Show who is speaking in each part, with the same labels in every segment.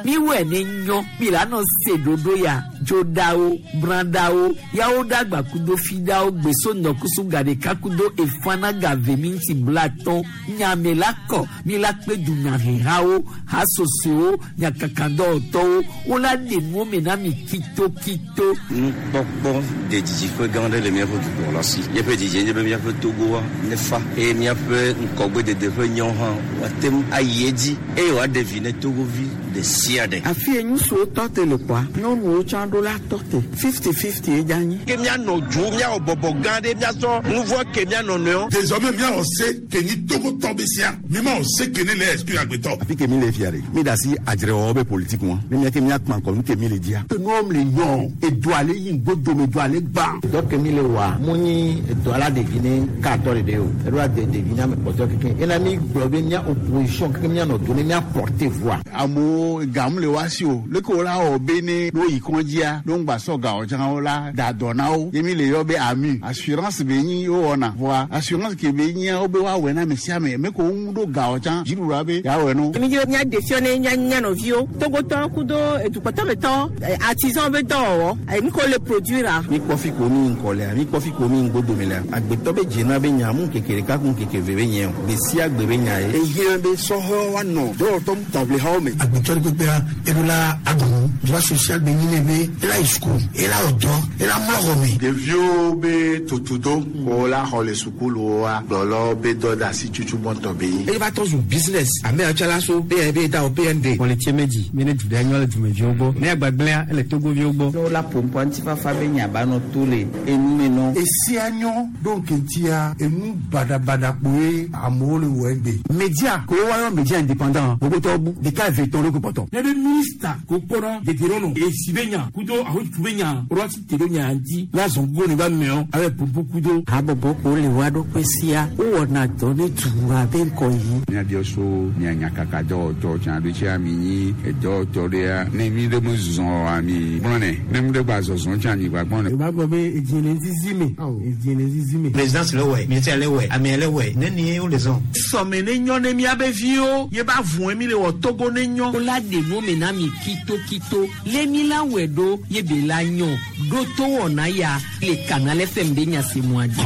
Speaker 1: Miwɔe ne nyɔ mi la nɔ se ɖoɖo ya dzoɖawo brãɖawo yawo ɖagba kudo fiɖawo gbeso ŋdɔkusu gaɖeka kudo efana gave minti blatɔn nyame la kɔ mi la kpe dunyahehawo hasosowo nyakakadɔwɔtɔwo wola ɖe nuwo me na mi kitokito.
Speaker 2: Nukpɔkpɔ de didiƒe gã aɖe le míaƒe dukplɔla si. Míaƒe didie nye be míaƒe Togoa nefa eye míaƒe ŋgɔgbedede ƒe nyawo hã woate ŋu ayi edzi eye wòaɖe vi ne Togovi ɖe sia ɖe.
Speaker 3: Afi ye ŋutsuwo tɔ te le kpɔa, nyɔnuwo tsã ɖo la tɔ te. Fifty-fifty ye dze anyi.
Speaker 4: Ke míanɔ dzo, míawɔ bɔbɔ gã ɖe, míasɔ nuvɔ̃ ke mía nɔnɔewo.
Speaker 5: Désormais míawɔ se ke nyi Togotɔ be sia, mímawɔ se ke ne le exclure agbetɔ.
Speaker 6: Afi ke mi le fia ɖe, mi da asi adzrewɔwɔ be politique ŋua, ne mía ke mía kpa ŋkɔ nu ke mi le dzia.
Speaker 7: Ke nuwo le nyɔ, edoa le yi ŋgodome, edoa le gbã.
Speaker 8: Dɔ ke mi le wɔa, mu nyi edoa la ɖevi ne katɔ ɖeɖe o, eɖo ade ɖevi ne ame kpɔtɔe kekeŋ. Ena mi gblɔ be mía opposition kekeŋ mía nɔ do ne mía porter voix.
Speaker 9: Amewo gam le woa si o, leke wo la wɔ be ne ne woyi kɔdzia, ne woŋgba sɔ gawo tsã wo la da dɔ na wo. Ye mi le yɔ be AMU, assurance be nyi wowɔna. Vɔa assurance ke be nyia wobe woawɔe na ame sia ame. Me ko woŋu ɖo gawo tsã, dziɖuɖua be yeawɔe no.
Speaker 10: Mi dzi be míaɖe fiɔ ne mía mía nɔviwo, Togotɔwo kudo edukpɔtɔmetɔwo, artisan be dɔwɔwɔ, nu ke wole produire-a.
Speaker 11: Mi kpɔ fi ko mi ŋkɔ lea, mi kpɔ fi ko mi ŋgodome lea, agbetɔ be dzena be nya mu ŋkeke ɖeka ku ŋkeke eve be nye o, gbe sia gbe be nya ye.
Speaker 7: Ehiã be sɔhɛwo woanɔ dɔwɔtɔ taʋlihawo me.
Speaker 12: Agbetɔ ɖe kpekpea, eɖo la aɖu nu. Droit social be nyi nɛ be ela yi suku, ela wɔ dɔ, ela mlɔ xɔ me.
Speaker 13: Ɖeviwo be tutudo ko la xɔ le sukuluwoa, gblɔlɔwo be dɔdeasi tutu gbɔntɔ be nyi.
Speaker 14: Eye va trɔ zu business. Ame yawo tsã la so PNB da o PND.
Speaker 15: Xɔ le tsie me dzi, mi ne du ɖe nyɔ le dumeviwo gbɔ. Ne agbagblẽa, ele Togoviwo gbɔ.
Speaker 16: Ne wola ƒoƒua ŋutifafa be nya ba nɔ to le enu me nɔ.
Speaker 17: Esia nyɔ ɖo ŋkeŋtia enu baɖabaɖa kpoe amewo le wɔ egbe.
Speaker 18: Media ko woayɔ media indépendant gbogbotɔwo bu ɖeka eve etɔ̃ ɖo ko kpɔtɔ.
Speaker 19: Ne be minista ko kpɔnɔ dedienɔnɔ esi be nya kudo ahotutu be nya woɖo asi te ɖo nya ŋuti la zɔn go ne ba mɛɔ abe ƒoƒo kudo.
Speaker 20: Habɔbɔ ko le woa ɖokui sia wowɔna dɔ ne dua be ŋgɔyiyi.
Speaker 21: Míabiɔ so mia nyakakadɔwɔtɔ tsã ɖo tsia mi nyi edɔwɔtɔ ɖea ne mi ɖe me zɔzɔ oa mi gblɔnɛ ne mi ɖe gba zɔzɔ tsã mi gba gbɔnɛ.
Speaker 22: Yorùbá gbọ́ pé èjì lè zizi mi èjì lè zizi mi.
Speaker 23: Présidence le wɛ, ministère le wɛ, amea le wɛ, ne nie wo le zɔn.
Speaker 24: Sɔme ne nyɔ ne míabe viwo ye ba vɔe mi le wɔ Togo ne nyɔ.
Speaker 1: Wola ɖe nuwo me na mi kitokito. Le mi la wɔe ɖo ye be la nyɔ ɖo to wɔna ya le Canal FM be nya se mua dzi.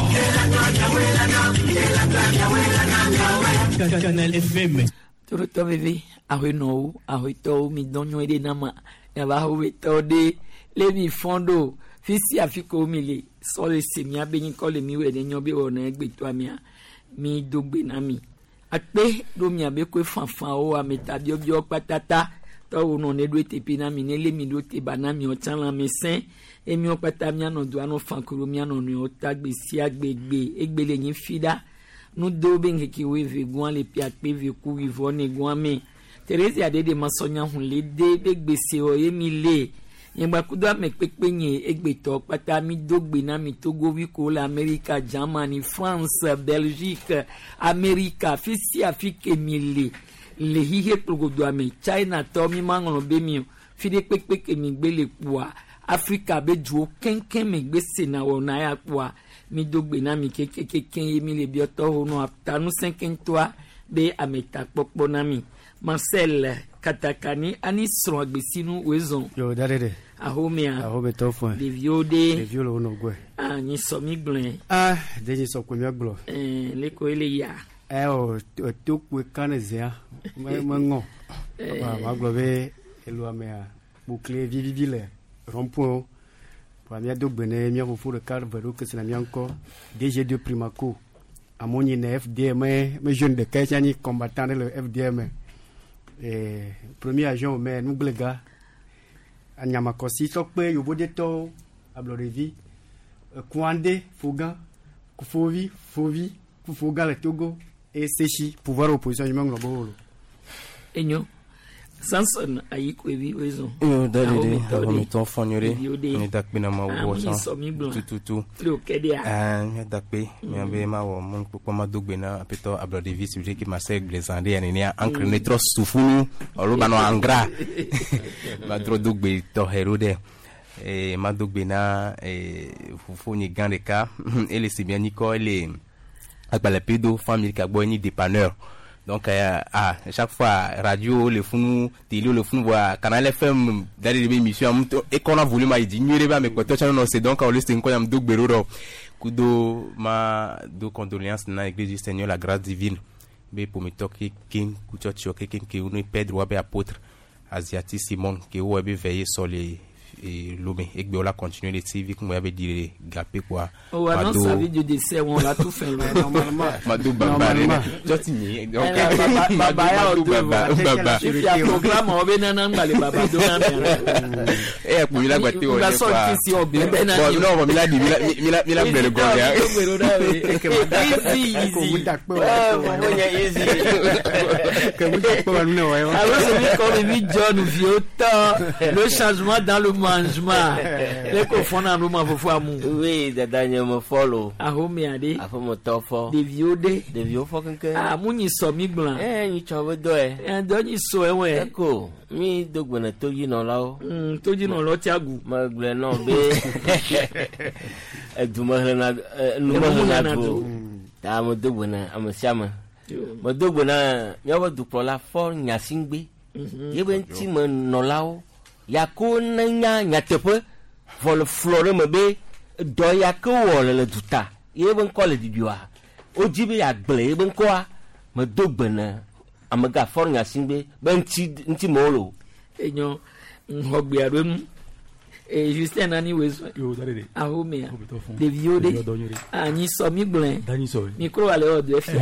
Speaker 25: Canal FM.
Speaker 1: Torotɔ veve ahoenɔwo ahoetɔwo mi dɔn nyuie ɖe na ma miava ahoetɔ ɖe le mi fɔn ɖo fisi afi ko mi le sɔ le se mia be nyikɔ le mi wɔ ne nyɔ be wɔna egbetɔa mia mi do gbe na mi akpe ɖo mia be koe fanfanwo ametabiɔbiɔ kpatata tɔwo nɔ ne ɖo teƒe na mi ne le mi ɖo te ba na mi ɔtsã lãme sẽ emiɔ kpata mianɔ doa nɔ fan kuro mianɔ nɔewo ta gbe sia gbe gbe egbe le nyi fi ɖa nudo be ŋkeke woeve gɔa le pia kpe ve ku wivɔ ne gɔa me Theresia ɖe masɔnya hun le de be gbese wɔ ye mi le nyegbakudo ame kpekpe nye egbetɔ kpata mi do gbe na mi Togovi ko le Amerika, Germany, France, Belgique, Amerika fi sia fi ke mi le le xixe kplogodoa me China tɔ mi ma ŋlɔ be mi o fi ɖe kpekpe ke mi gbe le kpoa Afrika be duwo keŋkeŋ me gbe sena wɔna ya kpoa mi do gbe na mi kekekeke ye mi le biɔtɔwo nɔ atanusẽ keŋtɔa be ametakpɔkpɔ na mi Marcel Katakani ani srɔ̃ agbesinu wòezɔn.
Speaker 15: Yo da ɖe ɖe.
Speaker 1: Ahomea.
Speaker 15: Ahome tɔ fún.
Speaker 1: Ɖeviwo ɖe.
Speaker 15: Ɖeviwo le wo nɔ gbɔe.
Speaker 1: Ah nyi sɔ mi gblɔe.
Speaker 15: Ah de nyi sɔ ko mi gblɔ.
Speaker 1: Ɛɛ leko ele ya.
Speaker 15: Ɛ o to kpoe kan ne zea me me ŋɔ. Wa ma gblɔ be elu amea kpokle vivivi le rond-point. Wa mía do gbe ne mía fofo ɖeka ve ɖo kese na mía ŋkɔ DG de Primaco. Amewo nyi ne FDM me jeune ɖeka tsa nyi combattant ɖe le FDM. Premier agent me nugblẽga anyamakɔsi sɔkpe yovodetɔwo ablɔɖevi Kouandé Fogan Kufovi Fovi Kufogan le Togo et Sechi pouvoir opposition je meŋlɔ be wo lo.
Speaker 1: Enyo Samson Ayikoevi wezɔn.
Speaker 26: Yo da de de ahometɔ fɔ nyuie ɖe mi da kpe na ma wɔ sɔn tututu mi da kpe mi be ma wɔ mun kpɔkpɔ ma do gbe na apetɔ ablɔɖevi si ke ma se glezan ɖe yanenia ankre ne trɔ sufunu alo ba nɔ angra ma trɔ do gbe tɔxɛ ɖo ɖe ma do gbe na fofonye gã ɖeka ele si mia nyikɔ ele. Agbalẽ pedo famille ka gbɔ nyi dépanneur. Donc ah, chaque fois radio le funu, télé le funu voa Canal FM d'aller de émission am to e kona volume ayi di nyuie ba me kpɔtɔ tsã nɔ se. Donc on le se ŋkɔ yam do gbe ɖo kudo ma do condoléances na Église du Seigneur la Grâce Divine be ƒometɔ kekeŋ kutsɔtsiɔ kekeŋ ke wo ne Pedro wa be apôtre Asiati Simon ke wo be veillé sɔ le Lomé egbe wo la continuer le TV kun ya be di le gapé quoi.
Speaker 1: On annonce sa vie de décès, on l'a tout fait.
Speaker 15: Normalement.
Speaker 26: Mado baba re jɔti nyi donc
Speaker 1: Baba ya
Speaker 26: Mado
Speaker 1: o
Speaker 26: baba baba.
Speaker 1: Ifi a programme o be nana ngbale baba do na me.
Speaker 26: E ya kpu mi la gba te
Speaker 1: Nga
Speaker 26: wɔ
Speaker 1: sɔ ti si ɔbɛ bɛ na
Speaker 26: Bon, non, bon, mi la di mi la mi la mi la gblẽ le gɔme ya.
Speaker 1: Easy, easy. Alors celui qu'on lui John Viota, le changement dans le mangement. Les confondent en nous, faut amour.
Speaker 2: Oui, dada nye me fɔ lo.
Speaker 1: Ahome ade.
Speaker 2: Aƒemetɔ fɔ.
Speaker 1: Ɖeviwo ɖe.
Speaker 2: Ɖeviwo fɔ keŋkeŋ.
Speaker 1: Ah, mu nyi sɔ mi gblɔ.
Speaker 2: Ɛ nyi tsɔ be dɔ yɛ.
Speaker 1: Ɛ dɔ nyi sɔ ewɛ.
Speaker 2: Eko mi do gbe ne todzinɔlawo.
Speaker 1: Todzinɔlawo tia gu.
Speaker 2: Megblɔe nɔ be edumehlena numehlena du. Ta me do gbe ne ame sia ame. Me do gbe ne míaƒe dukplɔla fɔ Nyasigbe. Yebe ŋutimenɔlawo yako ne nya nyateƒe vɔ le flɔ ɖe me be dɔ ya ke wɔ le le duta yebe ŋkɔ le ɖiɖioa wodzi be yeagblẽ yebe ŋkɔa medo gbe ne amegã fɔ Nyasigbe be ŋuti ŋutimewo le o.
Speaker 1: Enyo ŋxɔgbea ɖo ŋu. E Justin nani wezɔn. Ahomea. Ɖeviwo ɖe. Ah, nyi sɔ mi gblɔe. Mikro ale wɔ do efia.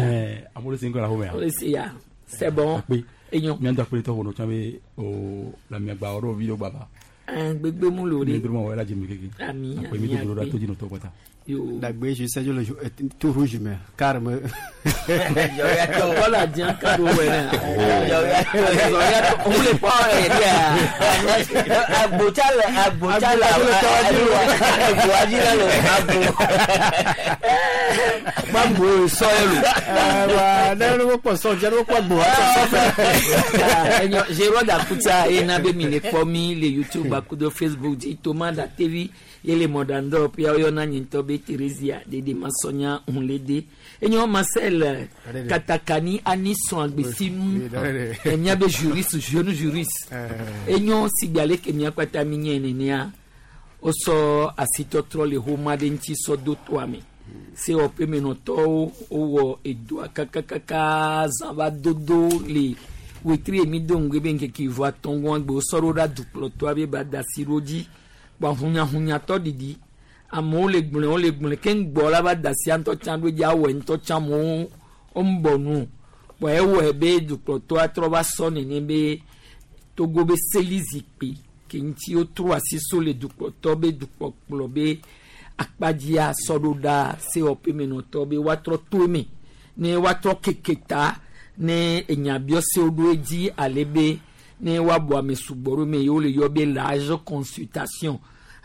Speaker 3: Amewo le se ŋkɔ le ahomea.
Speaker 1: Wole se ya. C'est bon.
Speaker 3: Akpe.
Speaker 1: Enyo.
Speaker 3: Míadɔ akpe tɔ ƒonɔ tsã be o le amiagba wɔ ɖo vi ɖo gbava.
Speaker 1: Gbegbe mu lo
Speaker 3: Mi
Speaker 1: ɖe.
Speaker 3: dro ma wɔ ela dze mi keke.
Speaker 1: Ami,
Speaker 3: Akpe mi
Speaker 1: ami,
Speaker 3: do gbe ɖo ɖa
Speaker 1: akpe.
Speaker 3: to dzi nɔtɔ kpata.
Speaker 15: Dagbe je sais le tout rouge mais carme.
Speaker 1: Kɔla diɲɛ ka do wɛ nɛ. Òun le kpɔ yɛ dɛ.
Speaker 2: Agbotsa le agbotsa le agboa dzi le agbo.
Speaker 1: Gbagbo sɔ yɛ lo.
Speaker 15: Wa ne ne kpɔ sɔ dze ne kpɔ agbo sɔ fɛ.
Speaker 1: Enyo Gérard Akuta ye na be mi le kpɔ mi le YouTube akudo Facebook dzi Thomas da TV ye le mɔɖaŋdɔ ƒe woyɔna nye ŋutɔ be Theresia dede masɔnya hunlede. Enyo Marcel Katakani Anisɔn agbesinu míabe juriste jeune juriste. Enyo sigbe ale ke mía kpata mi nye nenea wosɔ asitɔtrɔ le xɔma ɖe ŋuti sɔ do toa me. Sewɔƒemenɔtɔwo wowɔ edoa kakakaka zã va dodo le wetri mi do ŋgbe be ŋkeke vɔ atɔ̃gɔa gbe wosɔ ɖo ɖa dukplɔtɔa be ba da asi ɖo dzi kpɔ hunyahunyatɔ ɖiɖi amewo le gblɔe wole gblɔe keŋ gbɔ la va da asia ŋutɔ tsã ɖo dzi awɔe ŋutɔ tsã amewo wombɔ nu kpɔ ewɔe be dukplɔtɔa trɔ va sɔ nene be Togo be seli zikpui ke ŋuti wotrɔ asi so le dukplɔtɔ be dukpɔkplɔ be akpadzia sɔ ɖo ɖa sewɔƒemenɔtɔ be woatrɔ to eme ne woatrɔ keke ta ne enyabiɔsewo ɖo edzi ale be ne woabɔ ame sugbɔ ɖo eme ye wole yɔ be large consultation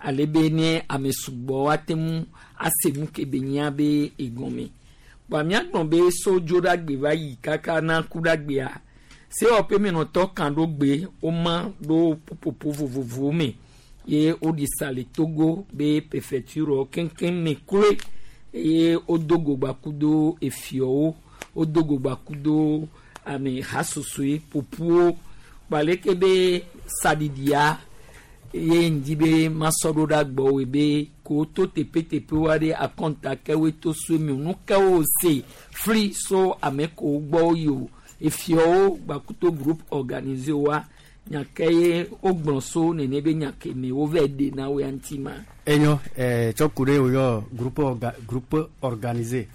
Speaker 1: ale be ne ame sugbɔ woate ŋu ase nu ke be nyia be egɔme kpɔa míagblɔ be so dzoɖagbe va yi kaka na kuɖagbea sewɔƒemenɔtɔ kan ɖo gbe woma ɖo ƒuƒoƒo vovovowo me ye woɖi sa le Togo be prefecture keŋkeŋ me kloe eye wodo go gbakudo efiɔwo wodo go gbakudo ame hasosoe ƒoƒuwo kpaleke be saɖiɖia ye ŋdi be masɔ ɖo ɖa gbɔwoe be ko to teƒeteƒewo aɖe akɔnta kewoe to so eme o nu kewo se fli so ame kewo gbɔ yi o efiɔwo gbakuto groupe organisé wa nya ke ye wogblɔ so nene be nya ke me wova ɖe na wo ya ŋuti ma.
Speaker 15: Enyo tsɔ ku ɖe woyɔ groupe orga, groupe organisé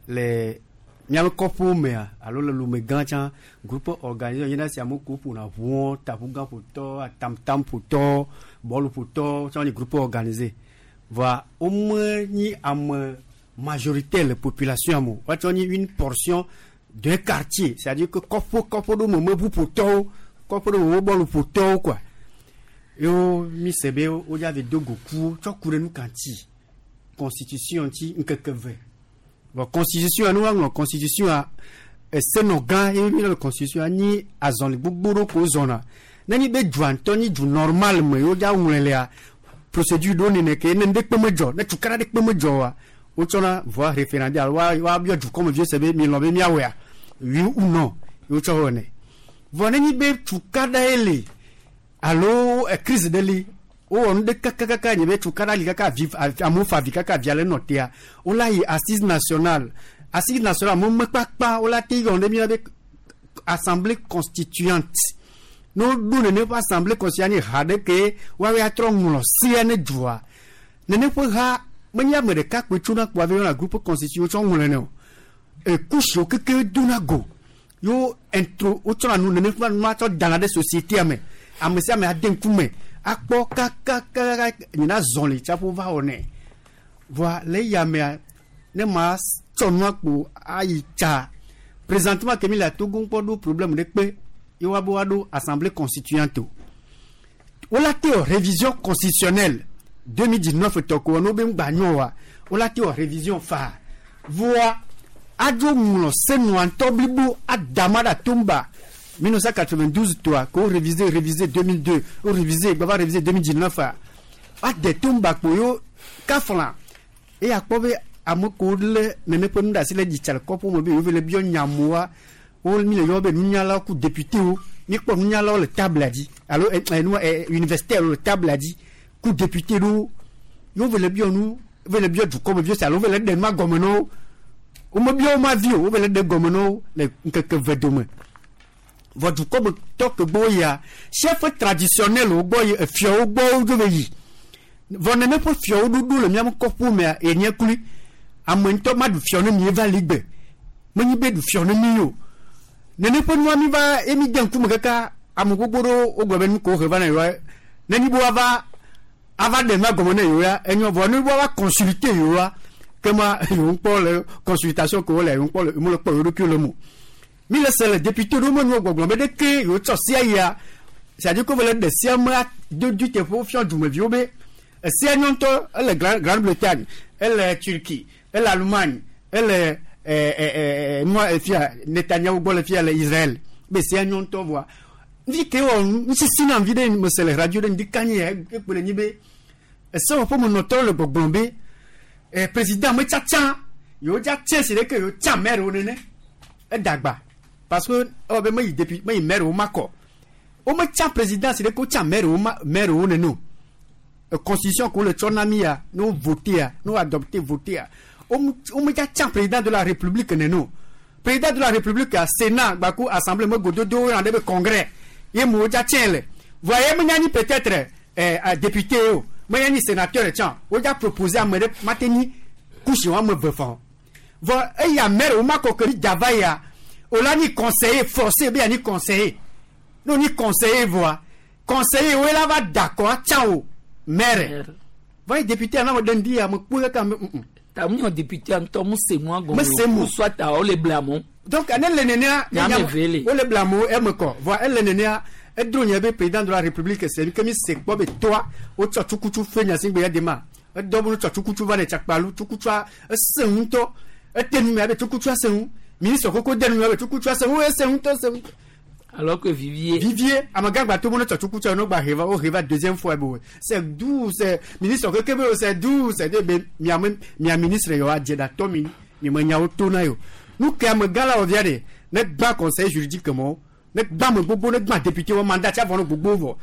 Speaker 15: le míaƒe kɔƒewo mea alo le lome gã tsã groupe organisé nyina si amewo ko ƒona ʋuɔ taʋugã ƒotɔ atamtam ƒotɔ bɔlu ƒotɔ tsã nye groupe organisé voa wome nyi ame majoritaire le population me o woatsɔ nyi une portion d'un quartier, c'est-à-dire que kɔƒe kɔƒe ɖo me me ʋu ƒotɔwo kɔƒe ɖo me me bɔlu ƒotɔwo quoi yewo mi se be wodza ve do go ku tsɔ ku ɖe nu ka ŋuti constitution ŋuti ŋkeke ve bon constitution nu woaŋlɔ constitution a esenɔ gã ye mi le constitution nyi azɔli gbogbo ɖo ko zɔna ne nyi be dua ŋutɔ nyi du normal me yewo dza ŋlɔe lea procédure ɖo nene ke ne ŋɖe kpe me dzɔ ne tukaɖa ɖe kpe me dzɔ wa Wotsɔna voa référendum alo wa woabiɔ dukɔmeviwo se be milɔ̃ be míawɔea, oui ou non ye wotsɔ wɔnɛ. Vɔ nenye be tukaɖa ye le alo crise ɖe li, wowɔ nu ɖe kakakaka nye be tukaɖa li kaka avi amewo fa avi kaka avia le nɔ tea, wola yi assise nationale. Assise nationale amewo me kpakpa wola te yɔ ɖe mía be assemblée constituante. Ne woɖo nene ƒe assemblée constituante nye ha ɖe ke woawoe atrɔ ŋlɔ sea ne dua. Nene ƒe ha menye ame ɖeka kpoe tsona kpoa va yɔna groupe constituant wotsɔ ŋlɔe o. Ekusiwo keke dona go yewo intro wotsɔna nu nene ƒe nua tsɔ dana ɖe société me. Ame sia ame ade ŋkume akpɔ kakakaka nyina zɔli tsaƒo va wɔnɛ. Voa le eya mea ne ma tsɔ nua kpo ayi tsa présentement ke mi le Togo ŋkpɔ ɖo problème ɖe kpe ye woabe woaɖo assemblée constituante o. Wola te wɔ révision constitutionnelle 2019 tɔ ko ne wobe ŋgba nyɔ oa, wola te wɔ révision faa. Voa adzo ŋlɔ senua ŋutɔ blibo ada ma ɖe atomba 1992 toa ko révisé révisé 2002 wo révisé gbava révisé 2019 a ade tomba kpo yo kafla eye akpɔ be ame kewo lé nene ƒe nu ɖe asi le dzitsa le kɔƒe me be yewo le biɔ nyamoa wo mi le yɔ be nunyalawo ku députéwo mi kpɔ nunyalawo le table dzi alo ɛ nu universitaire le table dzi ku député ɖewo yewo le biɔ nu ve le biɔ dukɔmeviwo se alo ve le ɖe nua gɔme na wo womebiɔ wo ma vi o wo ve le ɖe gɔme na wo le ŋkeke ve dome vɔ dukɔmetɔ ke gbɔ yia chef traditionnel wo gbɔ yi efiawo gbɔ wo dzo ve yi vɔ nene ƒe fiawo ɖoɖo le miaƒe kɔƒe mea enye klui ame ŋutɔ ma ɖu fiɔ ne mi va li gbe menyi be ɖu fiɔ ne mi o nene ƒe nua mi va emi de ŋkume kaka ame gbogbo ɖewo wogblɔ be nu ko he va na yewoa ne nyi be woava ava ɖe nua gɔme ne yewoa enyo vɔ ne woava consulter yewoa kema yewo ŋkpɔ le consultation ke wole yewo ŋkpɔ le yewo le kpɔ yewo ɖokuiwo le mo mi le se le député ɖewo me nuwo gbɔgblɔ be ɖeke yewo tsɔ sia yia c'est-à-dire que wole ɖe sia me do du teƒe wofiɔ dumeviwo be esia nyɔ ŋutɔ ele Grande-Bretagne ele Turquie ele Allemagne ele ɛ ɛ nua efia Netanyahu gbɔ le fia le Israël be sia nyɔ ŋutɔ vɔa vi ke wɔ nusisi na vi ɖe mese le radio ɖe ŋdi kanyi ya ekpe le nyi be esewɔƒe menɔtɔwo le gbɔgblɔm be président metsatsa yewo dza tse si ɖeke yewo tsa maire wo nene edagba parce que ewɔ be meyi depuis meyi maire wo makɔ wometsa président si ɖeke wotsa maire wo ma maire wo nene o constitution ko le tsɔ na mi ya ne wo voté ya ne wo adopté voté ya womedza tsa président de la république nene o président de la république ya sénat gbaku assemblée me gododo wo ɖe be congrès ye mo wodza tsɛ le voa ye menya nyi peut-être député o menya nyi sénateur tsã wodza proposer ame ɖe mate nyi kusi wɔme eve fɔ vɔ eya maire wo makɔ ke dava ya o la nyi conseiller forcé be ya nyi conseiller ne o nyi conseiller vɔa conseiller wo la va dakɔ atsa o maire vɔ ye député anam ɖe ŋdi ya me kpɔ kaka me.
Speaker 1: Ta mu nyɔ député ŋutɔ mu se nua gɔme
Speaker 15: Me se mu.
Speaker 1: soit ta wo le bla mo.
Speaker 15: Donc ne le nenea
Speaker 1: Nyame ve le.
Speaker 15: wo le bla mo eme kɔ vɔ ele nenea edro nye be président de la république c'est que mi se kpɔ be toa wotsɔ tsukutu fe nyasigbe ya de ma edɔ be wotsɔ tsukutu va ne tsakpalu tsukutua ese ŋutɔ ete nu me abe tsukutua se ŋu ministre koko de nu me abe tsukutua se ŋu ese ŋutɔ se ŋutɔ.
Speaker 1: Alors que Vivier.
Speaker 15: Vivier, amagã gba to mo ne tsɔ tsukutua no gba he va wo he va deuxième fois bo c'est doux c'est ministre keke be c'est doux c'est de be miame mia ministre yɔ adze da tɔ mi mi me nyawo to na yo nu ke amegã la wɔ via de ne gbã conseil juridique mɔ ne gbã ame gbogbo ne gbã député wɔ mandat tsa vɔ ne gbogbo vɔ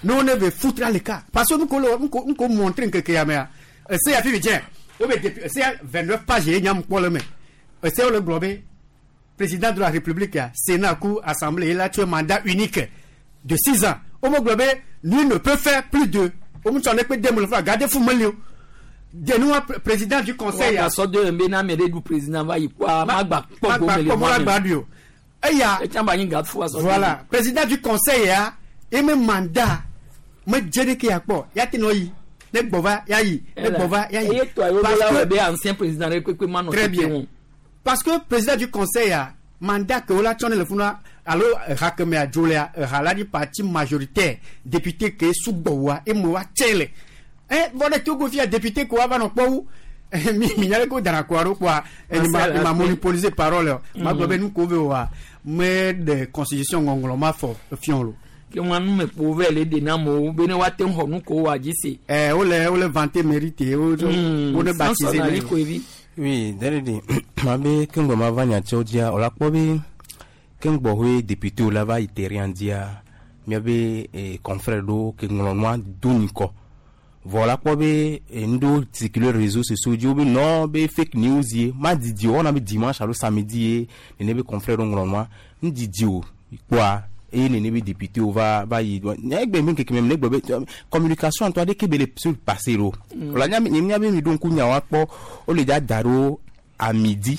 Speaker 15: ne wo ne ve foutre le cas parce que nuko le nuko nuko montre nkeke ya mea ese ya fi fi tiens wo be député ese ya 29 pages ye nyam kpɔ le me ese wo le gblɔ be président de la république ya sénat ku assemblée il a tué mandat unique de 6 ans wo me gblɔ be lui ne peut faire plus de wo mu tsɔ ne kpe dem le fa gade fu meli o denua président du conseil ya
Speaker 1: sɔ de be na ame ɖe ɖu président va yi kpɔa magba kpɔ
Speaker 15: magba
Speaker 1: gome le
Speaker 15: kpɔ mo la gba ɖui o eya
Speaker 1: etsã ba nyi gafo asɔ
Speaker 15: voilà président du conseil ya eme mandat me dze ɖeke ya kpɔ ya te nɔ yi ne gbɔ va ya yi ne gbɔ va ya yi
Speaker 1: eye tɔ ayiwo la wɔ be ancien président ɖe kpekpe ma nɔ
Speaker 15: Très
Speaker 1: tete
Speaker 15: bien.
Speaker 1: ŋu.
Speaker 15: Parce que président du conseil ya mandat ke wola tsɔ ne le funa alo eha ke mea dzo lea eha la di parti majoritaire député ke sugbɔ wa eme wa tse le ɛ vɔ ɖe Togo fia député ke wa va nɔ kpɔ wu mi mi nya ɖe ko dana koa ɖo kpoa eni ma
Speaker 1: Marcel
Speaker 15: ma
Speaker 1: Ape.
Speaker 15: monopoliser parole o ma gblɔ be
Speaker 1: Mhm.
Speaker 15: nu ko ve wa me ɖe constitution ŋɔŋlɔ ma fɔ fiɔ lo.
Speaker 1: Ke wọn nu me kpo vɛ le de na amewo be ne woate ŋu xɔ nu ko wa dzi se.
Speaker 15: Ɛ wole vanter mérite wo wo ne baptiser
Speaker 1: Samson
Speaker 15: ne.
Speaker 1: Ali Koevi.
Speaker 26: Oui, Dalidi, ma be ke ŋgbɔ ma va nyatsiwo dzia, wòla kpɔ be ke ŋgbɔ hoe député la va yi terrain dzia, miabe confrère ɖewo ke ŋlɔ nua do nyikɔ. Vɔ la kpɔ be nu ɖewo circuler réseaux sociaux dzi wo be non be fake news ye ma didi o wɔna be dimanche alo samedi ye nene be confrère ɖewo ŋlɔ nua nu didi o kpɔa eye nene be député wo va va yi nya egbe mi keke me ne gblɔ be communication ŋutɔ aɖeke be le se passer ɖo. Wòla nya nye mía be mi ɖo ŋku nyawo akpɔ wole dza da ɖo à midi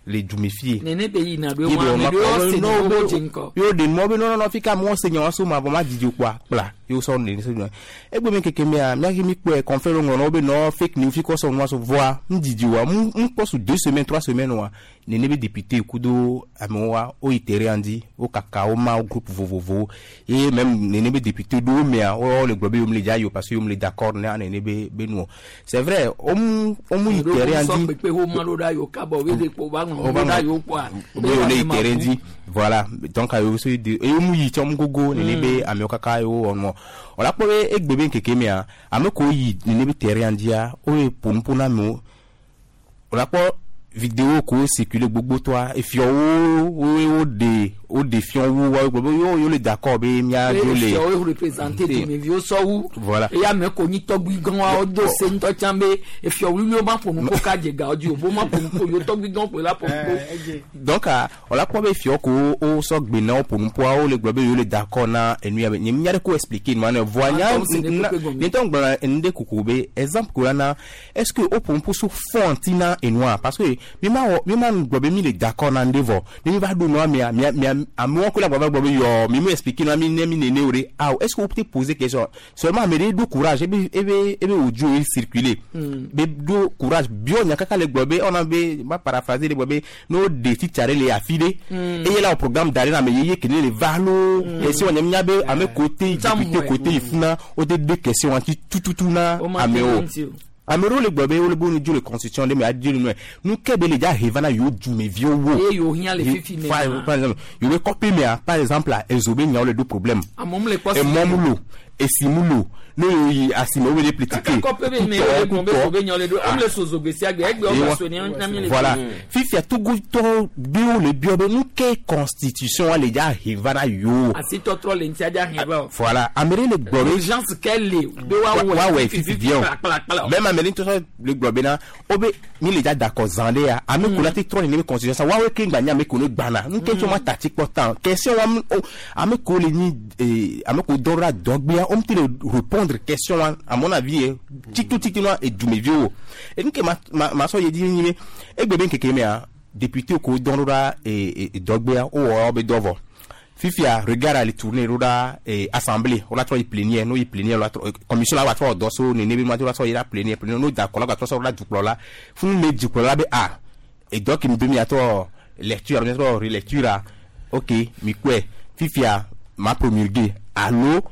Speaker 26: le dume fie.
Speaker 1: Nene be yina ɖo wa ame ɖewo se no wo dze ŋkɔ.
Speaker 26: Yo de mɔ be nɔnɔnɔ fi ka mɔ se nya wa so ma vɔ ma didi kpoa kpla yo sɔ ne se nua. Egbe mi keke mea mía ke mi kpɔe confrère ŋlɔ na wo be nɔ fake news fi kɔ sɔ nua so vɔa nu didi wa mu mu kpɔ su 2 semaines 3 semaines wa nene be député kudo amewo wa wo yi terrain dzi wo kaka wo ma wo groupe vovovowo ye même nene be député ɖewo mea wo le gblɔ be yom le dza yi o parce que yom le d'accord na nene be be nuo. C'est vrai wo mu wo mu yi terrain dzi.
Speaker 1: Sɔ kpekpe wo ma ɖo ɖa yiwo kabɔ wo de kpo ba ŋlɔ ɖo ɖa yiwo kpoa.
Speaker 26: Be wo le yi terrain dzi voilà donc ayo so de eye mu yi tsɔ mu gogo nene be amewo kaka yewo wɔ nua wòla kpɔ be egbe be ŋkeke mea ame kewo yi nene be terrain dzia wo ye ƒo nuƒo na amewo wòla kpɔ vidéo ko circuler gbogbo tɔa efiɔwo wo wo ɖe wo ɖe fiɔwo wa gblɔ be yo yo le d'accord be mía dzo le.
Speaker 1: Efiɔwo représenter dumeviwo sɔ wu.
Speaker 26: Voilà.
Speaker 1: Eye ame ko nyi tɔgbui gãwo do se ŋutɔ tsã be efiɔ wluiwo ma ƒo nu ko ka dze gawo dzi o bo ma ƒo nu ko yewo tɔgbui gãwo ƒo la ƒo nu ko.
Speaker 26: Donc wòla kpɔ be fiɔ ko wo sɔ gbe na wo ƒo nuƒoa wo le gblɔ be yewo le d'accord na enu ya be nye mía ɖe ko expliquer nua ne voa nya nye ŋutɔ gblɔ enu ɖe koko be exemple ko la na est-ce que wo ƒo nuƒo so fond ŋuti na enua parce que mi ma wɔ mi ma gblɔ be mi le d'accord na ŋɖe vɔ ne mi va ɖo nua mea mia mia amewo ko la gbɔ va gblɔ be yɔ mi mu expliquer nua mi ne mi nene o ɖe ah est-ce que wo te poser question seulement ame ɖe ɖo courage ebe ebe ebe audio ye circuler be ɖo courage biɔ nya kaka le gblɔ be ɔna be ma paraphraser le gblɔ be n'o de titsa ɖe le afi ɖe eye la o programme da ɖe na ame yeye ke ne le va lo question nye mía be ame ko te député ko te yi funa o te de question ŋuti tututu na amewo. Ame ɖewo le gblɔ be wole be wone dzo le constitution ɖe me adzo le nua nu ke be le dza he va na yewo dumeviwo wo.
Speaker 1: Eye yewo hiã le fifi me.
Speaker 26: Par exemple yewo be kɔƒe mea par exemple ezo be nyawo le ɖo problème.
Speaker 1: Amewo le kpɔ si.
Speaker 26: Emɔ mu lo esi mu lo ne yewo yi asime wo be le plitike.
Speaker 1: Kaka kɔƒe be me yewo le gblɔ be zo be nyawo le ɖo ame le so zo gbe sia gbe egbe wo va so ne na mi le.
Speaker 26: Voilà fifia Togotɔwo ɖewo le biɔ be nu ke constitution wa le dza he va na yewo.
Speaker 1: Asitɔtrɔ le ŋutia dza he va o.
Speaker 26: Voilà ame ɖe le gblɔ be.
Speaker 1: Urgence ke le be woawɔe
Speaker 26: woawɔe fifi viɔ.
Speaker 1: Kplakplakpla.
Speaker 26: Même ame ɖe ŋutɔ le gblɔ bena wo be mi le dza da akɔ zã ɖe ya ame ko la te trɔ nene be constitution sa woawoe ke ŋgba nye ame ko ne gbana nu ke tso ma ta tsi kpɔ tan question wa ame ko le nyi ame ko dɔ ɖo dɔgbea wo ŋuti le répondre question wa à mon avis ye titotiti nua edumeviwo enu ke ma ma ma sɔ ye dzi nyi be egbe be ŋkeke mea député ko dɔ ɖo ɖa dɔgbea wo wɔ wobe dɔ vɔ. Fifia regard à les tourner ɖo assemblée on a trɔ yi plénière no yi plénière la trɔ commission la va trɔ dɔ so nene be ma trɔ sɔ yi la plénière plénière no da kɔ la trɔ sɔ la dukplɔ la funu me dukplɔ la be a edɔ ke mi be mi atrɔ lecture mi atrɔ relecture a ok mi kɔe fifia ma promulguer alo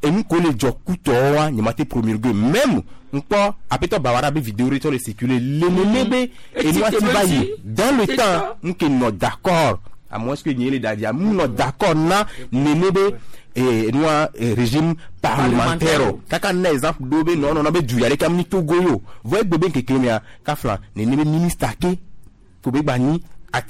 Speaker 26: enu ko le dzɔ kutɔ wa nye ma te promulguer même ŋkpɔ apetɔ bawara be vidéo ɖe tsɔ le circuler lenene be enua ti va yi dans le temps nke nɔ d'accord à moins que nye le dadia mu nɔ d'accord na nene be nua régime parlementaire kaka na exemple do be nɔ nɔ be du ya ɖeka mi Togo yo vɔ egbe be ŋkeke mea kafla nene be ministre ke ko be gba nyi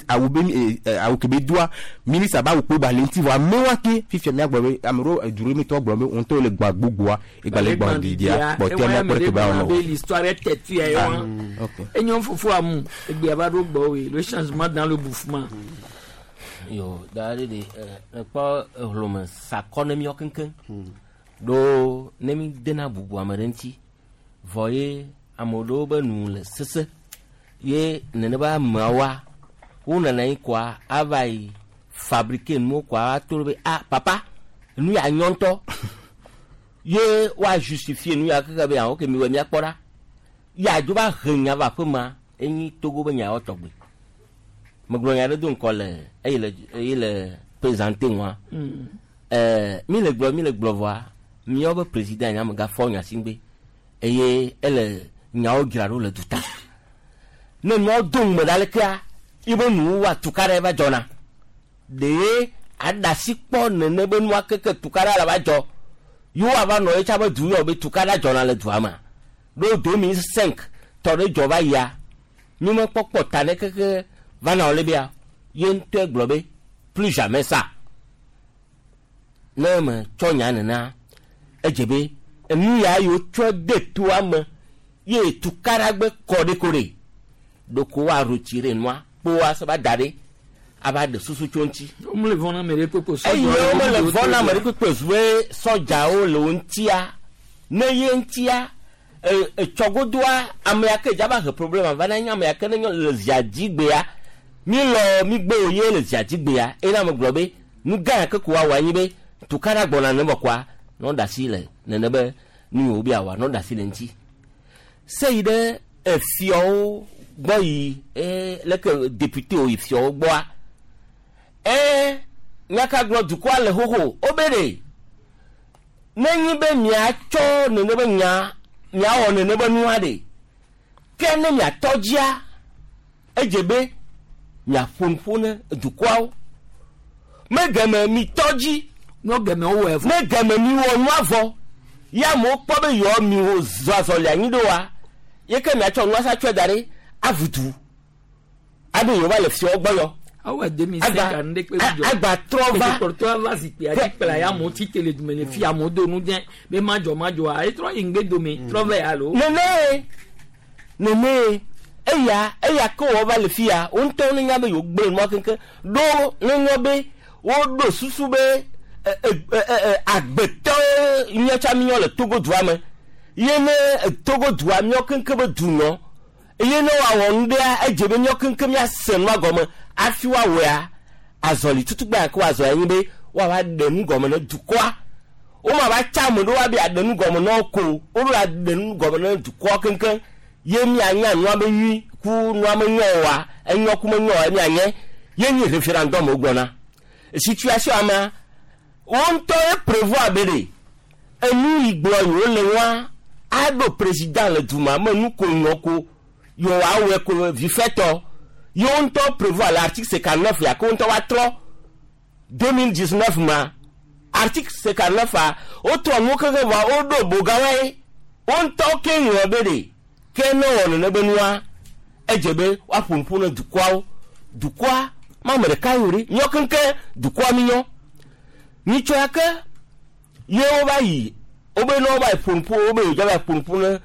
Speaker 26: awu be awu ke be doa ministre ba awu kpe gba le ŋuti vɔ amewoa ke fifia mía gblɔ be ame ɖewo du ɖe mi tɔ gblɔ be ŋutɔ le gbã gbogboa egba le gbã didia kpɔtɔa mía kpɔ ɖe ke ba wɔnɔ o.
Speaker 1: L'histoire est têtue ya wa enyo fofo amu egbea va ɖo gbɔ we le changement dans le bouffement.
Speaker 2: Yo da ɖe de ekpɔ ehlome sakɔ ne miɔ keŋkeŋ ɖo ne mi dena bubu ame ɖe ŋuti vɔ ye ame ɖewo be nu le sese ye nene be ameawoa wo nana yi kɔa ava yi fabriquer nuwo kɔa ato ɖe be ah papa nu ya nyɔ ŋutɔ ye woa justifier nu ya keke be ah ok mi wɔ miakpɔ ɖa ya dzo va he nya va aƒe ma enyi Togo be nyawo tɔgbe. Megblɔ nya ɖe do ŋkɔ le eye le eye le présenter ŋua. Mi le gblɔ mi le gblɔ vɔa miawo be président nya megafɔ nya si ŋgbe eye ele nyawo dzra ɖo le duta. Ne nuawo do ŋume ɖa lekea ibe nuwo wa tuka ɖe va dzɔna. Ɖe aɖasi kpɔ nene be nua keke tuka ɖe la va dzɔ. Yewo ava nɔ ye tsa be du yɔ be tuka ɖe dzɔna le dua me. Ɖo 2005 tɔ ɖe dzɔ va yia. Mi me kpɔkpɔ ta ne keke va na wo bia ye ŋutɔe gblɔ be plus jamais ça. Ne me tsɔ nya nena edze be enu ya yiwo tsɔ de toa me ye tukaɖagbe kɔ ɖe ko ɖe ɖoko wa retirer nua kpoa se va da ɖe ava ɖe susu tso ŋuti.
Speaker 1: Womele vɔ̃ na ame ɖe kpekpe
Speaker 2: sɔdzawo. Eye womele vɔ̃ na ame ɖe kpekpe zu be sɔdzawo le wo ŋutia ne ye ŋutia etsɔgodoa ame ya ke dza va he problème va na nye ame ya ke ne nyɔ le zia dzi gbea mi lɔ mi gbe wo ye le zia dzi gbea eye na ame gblɔ be nu gã ya ke ko woawɔ anyi be tukaɖa gbɔna ne bɔkɔa nɔ ɖe asi le nene be nu yiwo be awɔa nɔ ɖe asi le ŋuti se yi ɖe efiɔwo gbɔ yi leke député wo yi fiɔwo gbɔa nyaka gblɔ dukɔa le xoxo wobe ɖe nenyi be miatsɔ nene be nya miawɔ nene be nua ɖe ke ne miatɔ dzia edze be miaƒo nuƒo ne dukɔawo megeme mitɔ dzi
Speaker 1: ne geme wowɔe
Speaker 2: vɔ ne geme miwɔ nua vɔ ya amewo kpɔ be yewoa miwo zɔ azɔli anyi ɖoa ye ke miatsɔ nua sa tsɔe da ɖe avudu abe yewo va le fiawo gbɔ yɔ.
Speaker 1: Awo demi se ka nu ɖe kpe dzɔ.
Speaker 2: Agba trɔ va.
Speaker 1: Kpɔtɔ va zikpui dzi kpla ya amewo tsi te le dume le fi amewo do nu dze be madzɔ madzɔa etrɔ yi ŋgbe dome trɔ vɛ alo.
Speaker 2: Nene nene eya eya ke wɔ va le fia wo ŋutɔ ne nya be yewo gblẽ nua keŋkeŋ ɖo ne nya be woɖo susu be agbetɔ míatsa mínyɔ le Togo dua me ye ne Togo dua míɔ keŋkeŋ be du nɔ eye ne woawɔ nu ɖea edze be míɔ keŋkeŋ míase nua gɔme hafi woawɔea azɔli tutugba ke woazɔ anyi be woava ɖe nu gɔme ne dukɔa woma va tsa ame ɖewo abe aɖe nu gɔme na wo ko woɖo aɖe nu gɔme ne dukɔa keŋkeŋ ye mianya nua be nyui ku nua me nyɔ oa enyɔ ku me nyɔ oa mianye ye nyi référendum wogblɔna situation amea wo ŋutɔ ye prévoir be ɖe enu yi gblɔ yewo le wa aɖo président le duma me nu ko nyɔ ko yewo awɔe ko vifɛtɔ yewo ŋutɔ prévoir le article 59 ya ke wo ŋutɔ woatrɔ 2019 ma article 59 a wotrɔ nuwo keŋkeŋ vɔa woɖo bogawoe wo ŋutɔ ke ŋlɔ be ɖe ke ne wɔ nene be nua edze be woaƒo nuƒo ne dukɔawo dukɔa ma ame ɖeka yi o ɖe míawo keŋkeŋ dukɔa mi nyɔ nyitsɔ ya ke ye wova yi wobe ne wova yi ƒo nuƒo wobe yewo va yi ƒo nuƒo ne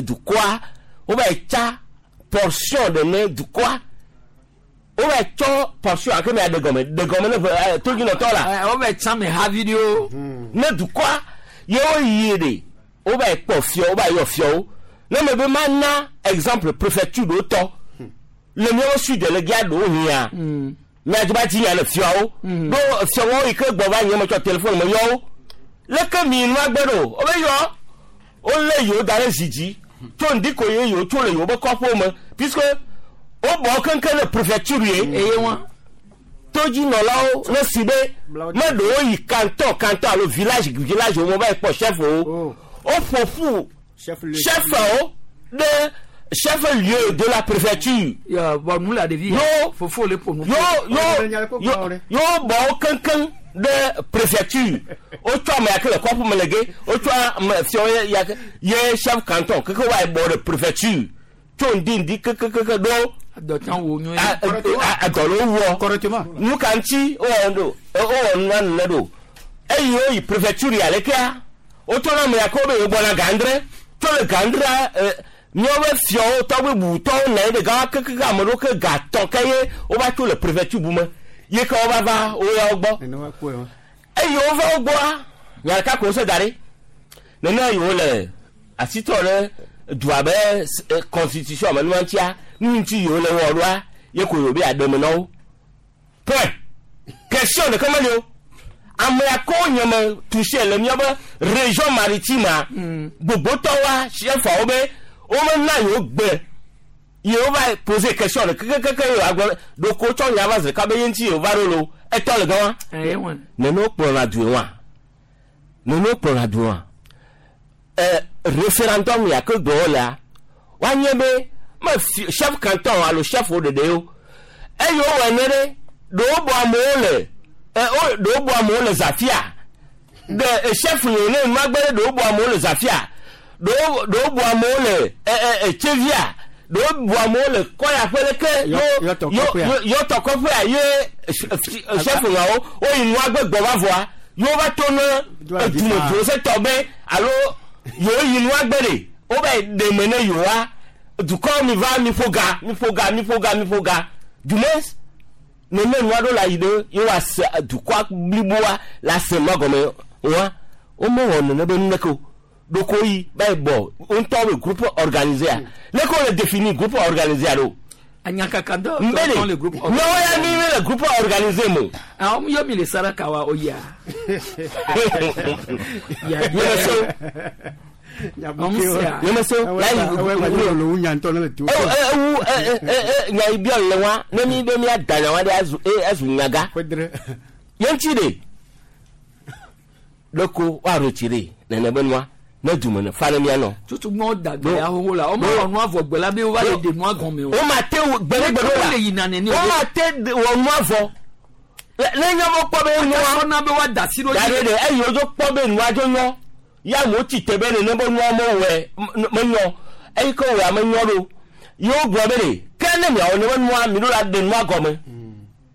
Speaker 2: dukɔa wova yi tsa portion ɖe ne dukɔa wova yi tsɔ portion ake mi aɖe gɔme ɖe gɔme ne ʋe todzinɔtɔ la.
Speaker 1: Wova yi tsa me havi ɖewo.
Speaker 2: Ne dukɔa ye woyi ɖe wova yi kpɔ fiɔ wova yi yɔ fiɔwo ne me be ma na exemple préfecture ɖewo tɔ le míawo sud le gia ɖewo hiã miadzi ba dzi nya le fiɔwo ɖo fiɔwo yi ke gbɔ va nye me tsɔ téléphone me yɔ wo leke mi nua gbe ɖo wobe yɔ wolé yewo da ɖe zi dzi tso ŋdi ko ye yewo tso le yewo be kɔƒewo me puisque wobɔ keŋkeŋ le préfecture ye
Speaker 1: eye wa
Speaker 2: todzinɔlawo ne si be meɖewo yi canton canton alo village village wo me va yi kpɔ chef wo woƒo ƒu chefwo ɖe chef lieu de la préfecture.
Speaker 1: Ya bɔn nu la ɖevi
Speaker 2: yo
Speaker 1: fofo le ƒo nu.
Speaker 2: Yo yo yo yo bɔ wo keŋkeŋ ɖe préfecture wotsɔ ame yake le kɔƒe me le ge wotsɔ ame fiawo ya ye chef canton keke wa yi bɔ ɖe préfecture tso ŋdi ŋdi kekekeke ɖo.
Speaker 1: Adɔtsan wo nyuie.
Speaker 2: Adɔ le wo wɔ. Nu ka ŋuti wowɔ ɖo wowɔ nua nene ɖo eyi woyi préfecture ya lekea wotsɔ na ame yake wo be yewo gbɔna gãdre tso le gãdrea míawo be fiawo tɔgbe bubutɔwo nɔ anyi ɖe gã kekeke ame ɖewo ke gatɔ ke ye wova tso le préfecture bu me ye ke wova va wo ya wo gbɔ eye wova wo gbɔa nya ɖeka ko wose da ɖi nene yewo le asitɔ ɖe dua be constitution me nua ŋutia nu ŋuti yewo le wɔ ɖoa ye ko yewo be aɖe me na wo point question ɖeke meli o ame akɔ nye me touché le míabe région maritime gbogbotɔwoa chefawo be womena yewo gbe yewo va poser question ɖe kekekeke yewo agblɔ ɖoko tsɔ nya va zi ɖeka be ye ŋuti yewo va ɖo lo etɔ le gama nene wokplɔna du wa nene wokplɔna du wa référendum ya ke gblɔ wolea woanye be me chef canton alo chef wo ɖeɖe wo eye wowɔ ene ɖe ɖewo bɔ amewo le ɖewo bɔ amewo le Zafia ɖe chef yi ne nua gbe ɖe ɖewo bɔ amewo le Zafia ɖewo bɔ amewo le Tsevia. Ɖewo bu amewo le kɔya ƒe leke yɔtɔ kɔƒea ye chef ŋawo woyi nua gbe gbɔ va vɔa yewo va to ne edume dzrosetɔ be alo yewo yi nua gbe ɖe wobe ɖe me ne yewoa dukɔ mi va mi ƒo ga mi ƒo ga mi ƒo ga mi ƒo ga dume nene nua ɖo la yi ɖe yewoa se dukɔa bliboa la se nua gɔme wa womewɔ nene be nu ɖeke o ɖoko yi ba yi bɔ ŋutɔ be groupe organisé a leke wole définir groupe organisé a ɖo.
Speaker 1: Anyakaka dɔ
Speaker 2: Mbele
Speaker 1: le groupe
Speaker 2: míawo ya mi mi le groupe organisé mo.
Speaker 1: Àwọn yóò mi le saraka wa o ya.
Speaker 2: Nyeme so. Nyeme so. Ewu nya yi biɔ le wa ne mi be mia da nya wa ɖe azu azu nyaga. Ye ŋuti ɖe ɖeko woaɖo tsi ɖe nene be nua ne dume ne fa ne mia nɔ.
Speaker 1: Tutu gbɔn dagbe ahoho la wɔn wɔ nua vɔ gbɛ la bi wa le de nua gɔme o.
Speaker 2: O ma te gbɛɖegbɛ ɖo la
Speaker 1: O le yina nene
Speaker 2: o ma te wɔ nua vɔ ne nye mo kpɔ be nua
Speaker 1: sɔna be wa da si ɖo
Speaker 2: dzi. Daɖe ɖe eyi wodzo kpɔ be nua dzo nyɔ ya mo tsi te be nene be nua mo wɔ me nyɔ eyi ke wɔ ame nyɔ ɖo yewo gblɔ be ɖe ke ne miawo ne be nua mi ɖo la de nua gɔme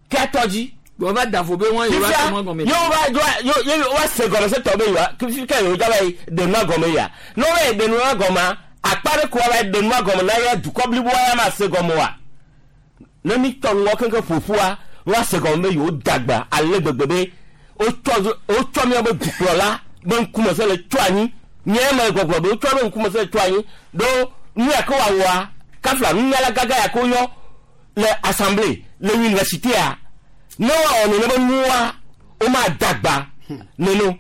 Speaker 2: ke atɔ dzi.
Speaker 1: Wọ́n bá dàfo bẹ́ẹ̀ wọ́n yóò wá tẹnu gɔmɛ.
Speaker 2: Yóò wá yóò wá se gɔmɛ se tɔ bɛ yóò fi kɛ yóò jaba yi denua gɔmɛ ya n'o bɛ denua gɔmɛ akpa ɖe ko wa bɛ denua gɔmɛ n'a yɛ dukɔ blibo ya ma se gɔmɛ wa ne mi tɔ ŋgɔ keŋkeŋ ƒoƒua wa se gɔmɛ bɛ yóò dagba ale gbegbe be wotsɔ miabe dukplɔla be ŋkume se le tso anyi nye me gbɔgblɔ be wotsɔ be ŋkume se le tso anyi ɖo nu ya ke woawɔa kafla nunyala gaga ya ke wonyɔ le assemblée le université a ne wa wɔ nene be nua wo ma dagba neno.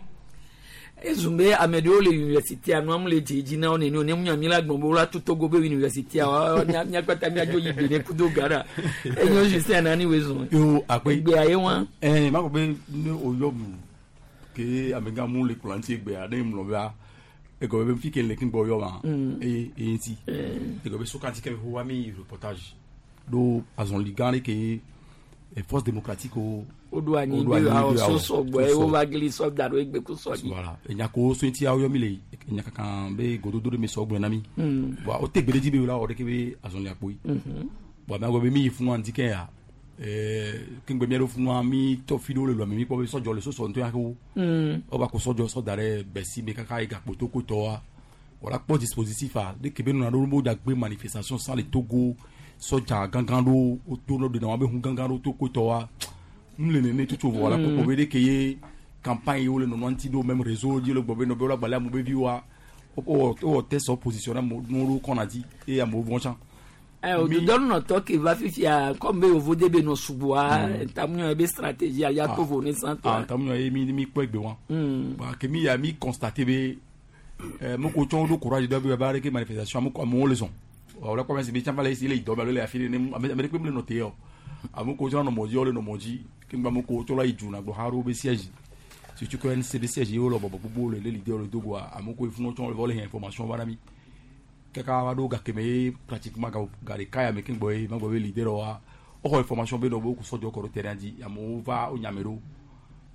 Speaker 1: Ezumbe ame ɖewo le université nua mu le dze dzi na wo nene o ne mu nyami la gbɔn be wola to Togo be université wa mia kpata miadzo yi Benin kudo Ghana enyo Justin nani wo zɔn.
Speaker 3: Yo akpe.
Speaker 1: Egbea ye wa.
Speaker 3: Ɛɛ ma ko be ne o yɔ mu ke amegã mu le kplɔ ŋuti egbea ne mlɔ bea egɔme be fi ke le kí gbɔ yɔ ma eye eye ŋuti egɔme be sokanti ke be wa mi reportage ɖo azɔli gã ɖe ke force démocratique o.
Speaker 1: Woɖo anyi be awɔ sosɔ gbɔ ye wova gli sɔ da ɖo egbe ko sɔ dzi.
Speaker 3: Voilà enyako so ŋuti awo yɔ mi le enyakaka be gododo ɖe mi sɔ gblɔ na mi. Bon o te gbe ɖe dzi be la wɔ ɖeke be azɔli akpoyi. Bon ame agbe be mi yi funua ŋdi ke ya kengbe mi ɖo funua mi tɔ fi ɖewo le lɔ mi mi kpɔ be sɔdzɔ le sosɔ ŋutɔ ya ke wo. Woba ko sɔdzɔ sɔ da ɖe bɛsi me kaka yi gakpo to ko tɔwa. Wòla kpɔ dispositif a ɖeke be nuna ɖo bo dza gbe manifestation sans le Togo sɔdza gãgã ɖo woto ne ɖena woabe hu gãgã ɖo to ko tɔwa. Nu le nene tsotso vɔ la kpɔkpɔ be ɖeke ye campagne wo le nɔnɔ ŋuti ɖo même réseau dzi le gbɔ be nɔ be wola gbalẽ amewo be viwoa wowɔ test sɔ position na amewo nuwo ɖo kɔna dzi eye amewo vɔ̃ tsã.
Speaker 1: Odudɔnunɔtɔ ke va fifia comme be yevu de be nɔ sugbɔa tamunyɔ be stratégie ya to vo ne sãtɔ.
Speaker 3: Tamunyɔ ye mi mi kpɔ egbe wa. Bon ke mi ya mi constaté be moko tsɔ ɖo courage dɔ be ba ɖeke manifestation amewo le zɔn. Wòle kpɔ be si be tsã va le esi le yi dɔ me alo le afi ɖe ne ame ɖeke mele nɔ te yɔ. Ame ko tsɔ nɔ mɔ dzi wole nɔ mɔ dzi ke ŋgba ame ko tsɔ la yi du na gbɔ xa ɖo be siège surtout que NCB siège ye wole bɔbɔ gbogbo le le leader le dogoa ame ko funu tsɔ le hɛn information va na mi kaka va ɖo gake me ye pratiquement ga ɖeka ya me ke ŋgbɔ ye ma gbɔ be leader wa woxɔ information be nɔ be woku sɔdzɔ kɔ ɖo terrain dzi amewo va wo nyame ɖo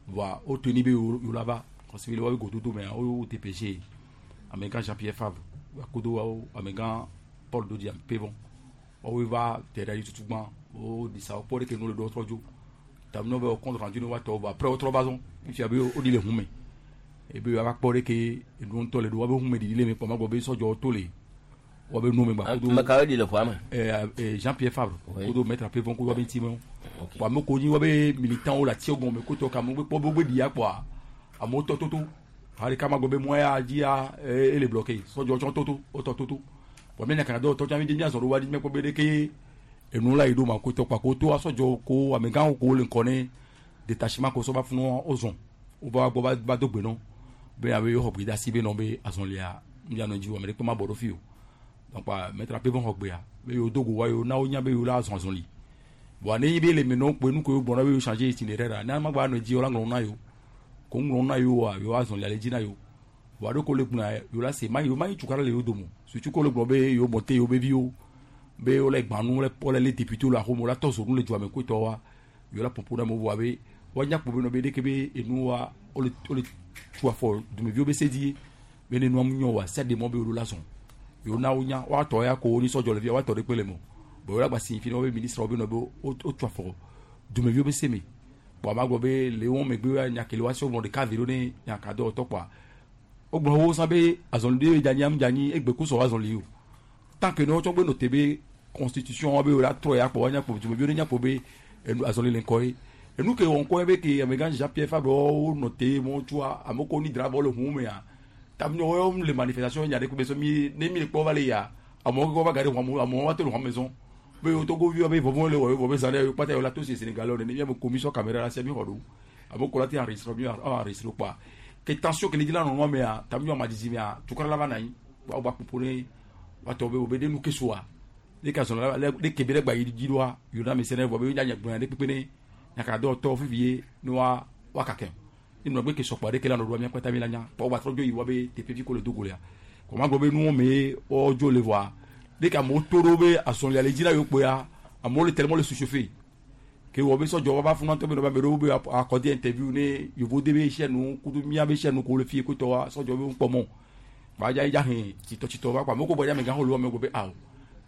Speaker 3: voa wo toni be yewo la va parce que le wa be gododo mea wo DPG amegã Jean Pierre Favre akodo wawo amegã Paul Dodi Ampevon woawoe va terrain dzi tutugbã wo disa wo kpɔ ɖeke nu le ɖo trɔ dzo tamu be compte rendu ne wa tɔ vɔ après wotrɔ va zɔn fifia be woɖi le hu me ebe wa kpɔ ɖeke enu ŋutɔ le ɖo wa be hu me ɖiɖi le me kpɔ ma gbɔ be sɔdzɔ to le wa be nu me gba
Speaker 2: kodo. Ame kawo ɖi le ƒua me.
Speaker 3: Jean Pierre Favre kodo maître Apevon kodo wa be ŋuti me wo ame ko nyi wa be militant wo le atiwo gɔme kotɔ ka amewo be kpɔ be wo be ɖia kpɔa amewo tɔ toto hali kama gbɔ be mɔ ya dzia ele bloqué sɔdzɔ tsɔ toto wotɔ toto bɔn mi nyakana dɔw tɔ tsã mi dze miazɔ ɖo wa dzi mekpɔ be ɖeke enu la yi ɖo ma ko tɔ kpa ko to asɔdzɔ ko amegãwo ko le ŋkɔ ne détachement ko sɔ va funu wozɔn wova gbɔ va do gbe nɔ be abe yewo xɔ gbe de asi be nɔ be azɔlia mianɔ dzi o ame ɖekpe ma bɔ ɖo fi o donc maître Apevon xɔ gbea be yewo do go wa yewo na wonya be yewo la azɔn azɔli bon ne be le me nɔ kpe nu ko yewo gbɔna be yewo changer itinéraire la ne ama gba nɔ dzi wo la ŋlɔ na yewo ko ŋlɔ na yewo wa yewo azɔlia le dzi na yewo bon aɖe ko le gblɔa yewo la se ma yewo ma yi tukara le yewo dome surtout ko le gblɔ be yewo mɔte yewo be viwo be wole gbanu wole le député le axome wole tɔ zonu le dua me ko tɔ wa yewo la ƒoƒo ɖe amewo vɔa be woanya kpo be nɔ be ɖeke be enua wole wole tu afɔ dumeviwo be se dzi be ne nua mu nyɔ wa sia ɖe mɔ be yewo la zɔn Yewo na wonya woatɔ ya ko wonyi sɔdzɔ le fia woatɔ ɖe kpe le mo. Bon wo la gba signifie ne wobe ministre wo be nɔ be wotu afɔ dumeviwo be se me. Kpɔa ma gblɔ be le wo megbe nya ke le woasi wogblɔ ɖeka ve ɖo ne nya ka dɔwɔtɔ kpɔa. Wogblɔ wo sã be azɔli ɖe dza nyi am dza nyi egbe ku sɔ azɔli o. Tant que ne wotsɔ gbe nɔ te be constitution wa be wo la trɔ ya kpɔ woanya kpɔ dumeviwo ne nya kpɔ be enu azɔli le ŋkɔ ye. Enu ke wɔ ŋkɔ ye be ke amegã Jean Pierre Fabre wo nɔ te mɔ tsua amewo ko ni dra bɔ le ʋu mea. Tam wo le manifestation nya ɖe ko be so mi ne mi le kpɔ va le ya amewo kɔ va ga ɖe ʋu amewo va to le ʋua me zɔn. Be wo Togo viwo be vɔvɔ le wɔ vɔ be zã ɖe kpata yewo la to si Sénégal nene mi ame commission caméra la sia mi xɔ ɖo. Amewo ko la te enregistré mi enregistré kpɔa. Ke tension ke le dzi la nɔ nua mea tam mi ama dzidzi mea tukara la va na anyi. Wa gba ƒoƒo ne woatɔ be wo be ɖe nu ke soa. Ne ka zɔn la ne ke be ɖe gba yi dzi ɖoa yona me se ne vɔ be nya nya gblɔ ɖe kpekpe ne nyaka dɔ tɔ fifi ye ne wa wa kake. Ne nɔ gbe ke sɔkpɔ ɖe ke la nɔ ɖoa mia kpata mi la nya. Kpɔ gba trɔ dzo yi wa be teƒe fi ko le dogo lea. Kɔ ma gblɔ be nuwo me wo dzo le vɔa. Ne ka amewo to ɖo be azɔlia le dzi na yewo kpoa amewo le tellement le suchauffer. Ke wɔ be sɔdzɔ wa va funu ŋutɔ be nɔ be ame ɖewo be accordé interview ne yevo de be chaîne nu kudo mía be chaîne nu ko le fie ko tɔ wa sɔdzɔ be ŋkpɔ mɔ. Ba dza dza hɛn tsitɔ va kɔ amewo ko bɔ dza amegã xɔ lu amewo ko be awo.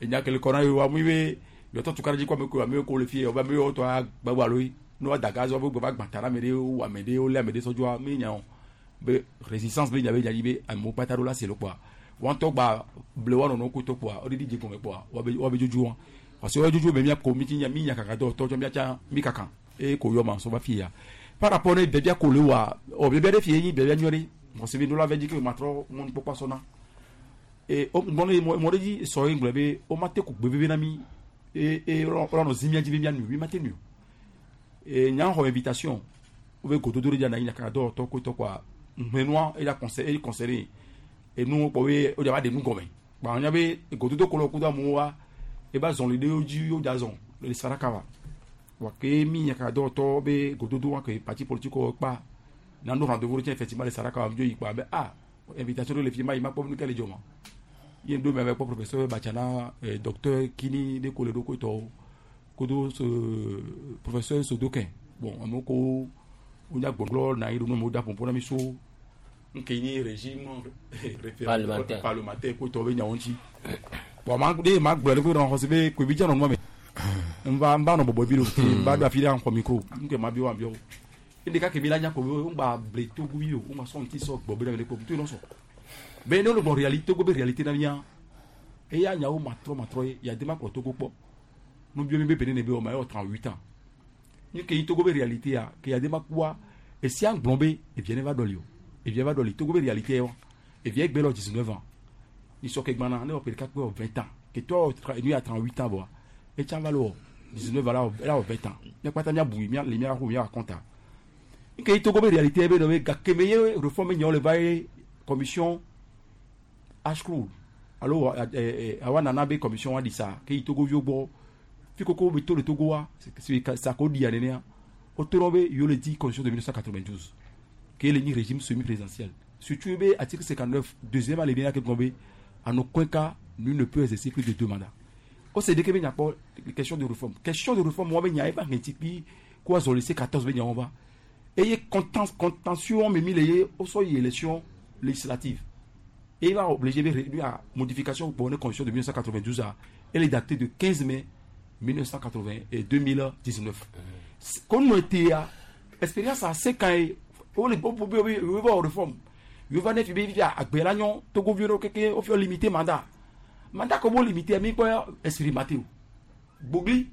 Speaker 3: Enya ke le kɔ na yewoa mu be yɔtɔ tukara dzi kɔ ame ko amewo ko le fie ɔbe amewo tɔ gbagba alo yi ne wa da gaz wa be gbe va gbã ta na ame ɖewo wu ame ɖewo lé ame ɖe sɔdzɔa mi nya o be résistance be nya be nya dzi be amewo kpata ɖo la se le kpɔa wɔn ŋutɔ gba ble wa nɔnɔ ko tɔ kpɔa wo ɖiɖi dze gɔme kpɔa wa be wa be dzodzo wa parce que wa dzodzo be mia ko mi ti nya mi nya kaka dɔ tɔ tsɔ mia tsa mi kaka eye ko yɔ ma sɔ va fia par rapport ne biabia ko le wa ɔ biabia ɖe fie nyi biabia nyuie ɖe parce que ɖo la vɛ dzi ke ma trɔ mɔnu kpɔkpɔ sɔna e o mɔ ne mɔ ɖe dzi sɔ ye ŋgblɔ be o ma te ko gbe veve na mi e e wòle nɔ zi mia dzi be mia nu mi ma te nu o e nya xɔ invitation wo be gododo ɖe dza na yi nyaka dɔwɔtɔ ko tɔ kɔa ŋmenua eya conseil eyi conseiller enu kpɔ be o dza va ɖe nu gɔme kpa nya be gododo ko le kudo amewo wa eba zɔli ɖe wo dzi wo dza zɔn le saraka wa wa ke mi nyaka dɔwɔtɔ be gododo wa ke parti politique wo kpa nanu rendez-vous ɖe tse effectivement le saraka wa dzo yi kpa be ah invitation ɖe le fi ma yi ma kpɔ nu ke le dzɔ ma ye ŋdo mɛ kpɔ professeur Batsana docteur Kini ɖe ko le ɖo ko tɔwo kodo so professeur Sodokin bon amewo ko wonya gbɔgblɔ na yi ɖo nu da ƒoƒo na mi so nke nyi régime
Speaker 2: Parlementaire.
Speaker 3: parlementaire ko tɔ be nyawo ŋuti bon ma de ma gblɔ ɖe ko nɔ xɔse be koebi dza nɔ nua me nva nva nɔ bɔbɔ bi ɖo te nva ɖo afi ɖe xɔ micro nke ma bi wa bi wo ɖeka ke mi la nya ko be ŋgba ble togo yi o ŋgba sɔ ŋuti sɔ gbɔ be ɖe ko to nɔ sɔ be ne wole gbɔ réalité togo be réalité na mia eya nyawo matrɔ matrɔ ye yade ma kplɔ togo kpɔ nu bio mi be Benin be wɔ ma yɔ 38 ans ni ke yi togo be réalité ya ke yade ma kua esia gblɔ be evia ne va ɖɔli o evia va ɖɔli togo be réalité ye wa evia gbe lɔ 19 ans ni sɔ ke gbana ne wɔ ƒe ɖeka kpe wɔ 20 ans ke tɔ enu ya 38 ans bɔa etsa va le wɔ 19 ans la wɔ la wɔ 20 ans mia kpata mia bui mia le mia xɔ mia compte nke yi togo be réalité be nɔ be gake me ye réforme nyawo le va ye commission Ashcroft alo awa nana be commission wa di sa ke yi togo viwo gbɔ fi koko be to le togo wa sa ko di ya nenea o tora be yewo le di constitution de 1992 ke le nyi régime semi-présidentiel surtout be article 59 deuxième alinéa ke gblɔ be en aucun cas nul ne peut exercer plus de deux mandats o se de ke be nya kpɔ question de réforme question de réforme wa be nya eba ŋɛti kpi ko azɔ le C14 be nyawo va eye contentieux me mi le ye o sɔ yi élection législative et il va obliger de à modification pour une constitution de 1992 à elle est datée de 15 mai 1980 et 2019. Comme nous était à expérience à 5 ans o le o o o réforme yo va ne fi be fi agbela nyo togo vi ro keke o fi limiter mandat mandat ko bo limiter mi ko expérimenter o gbogli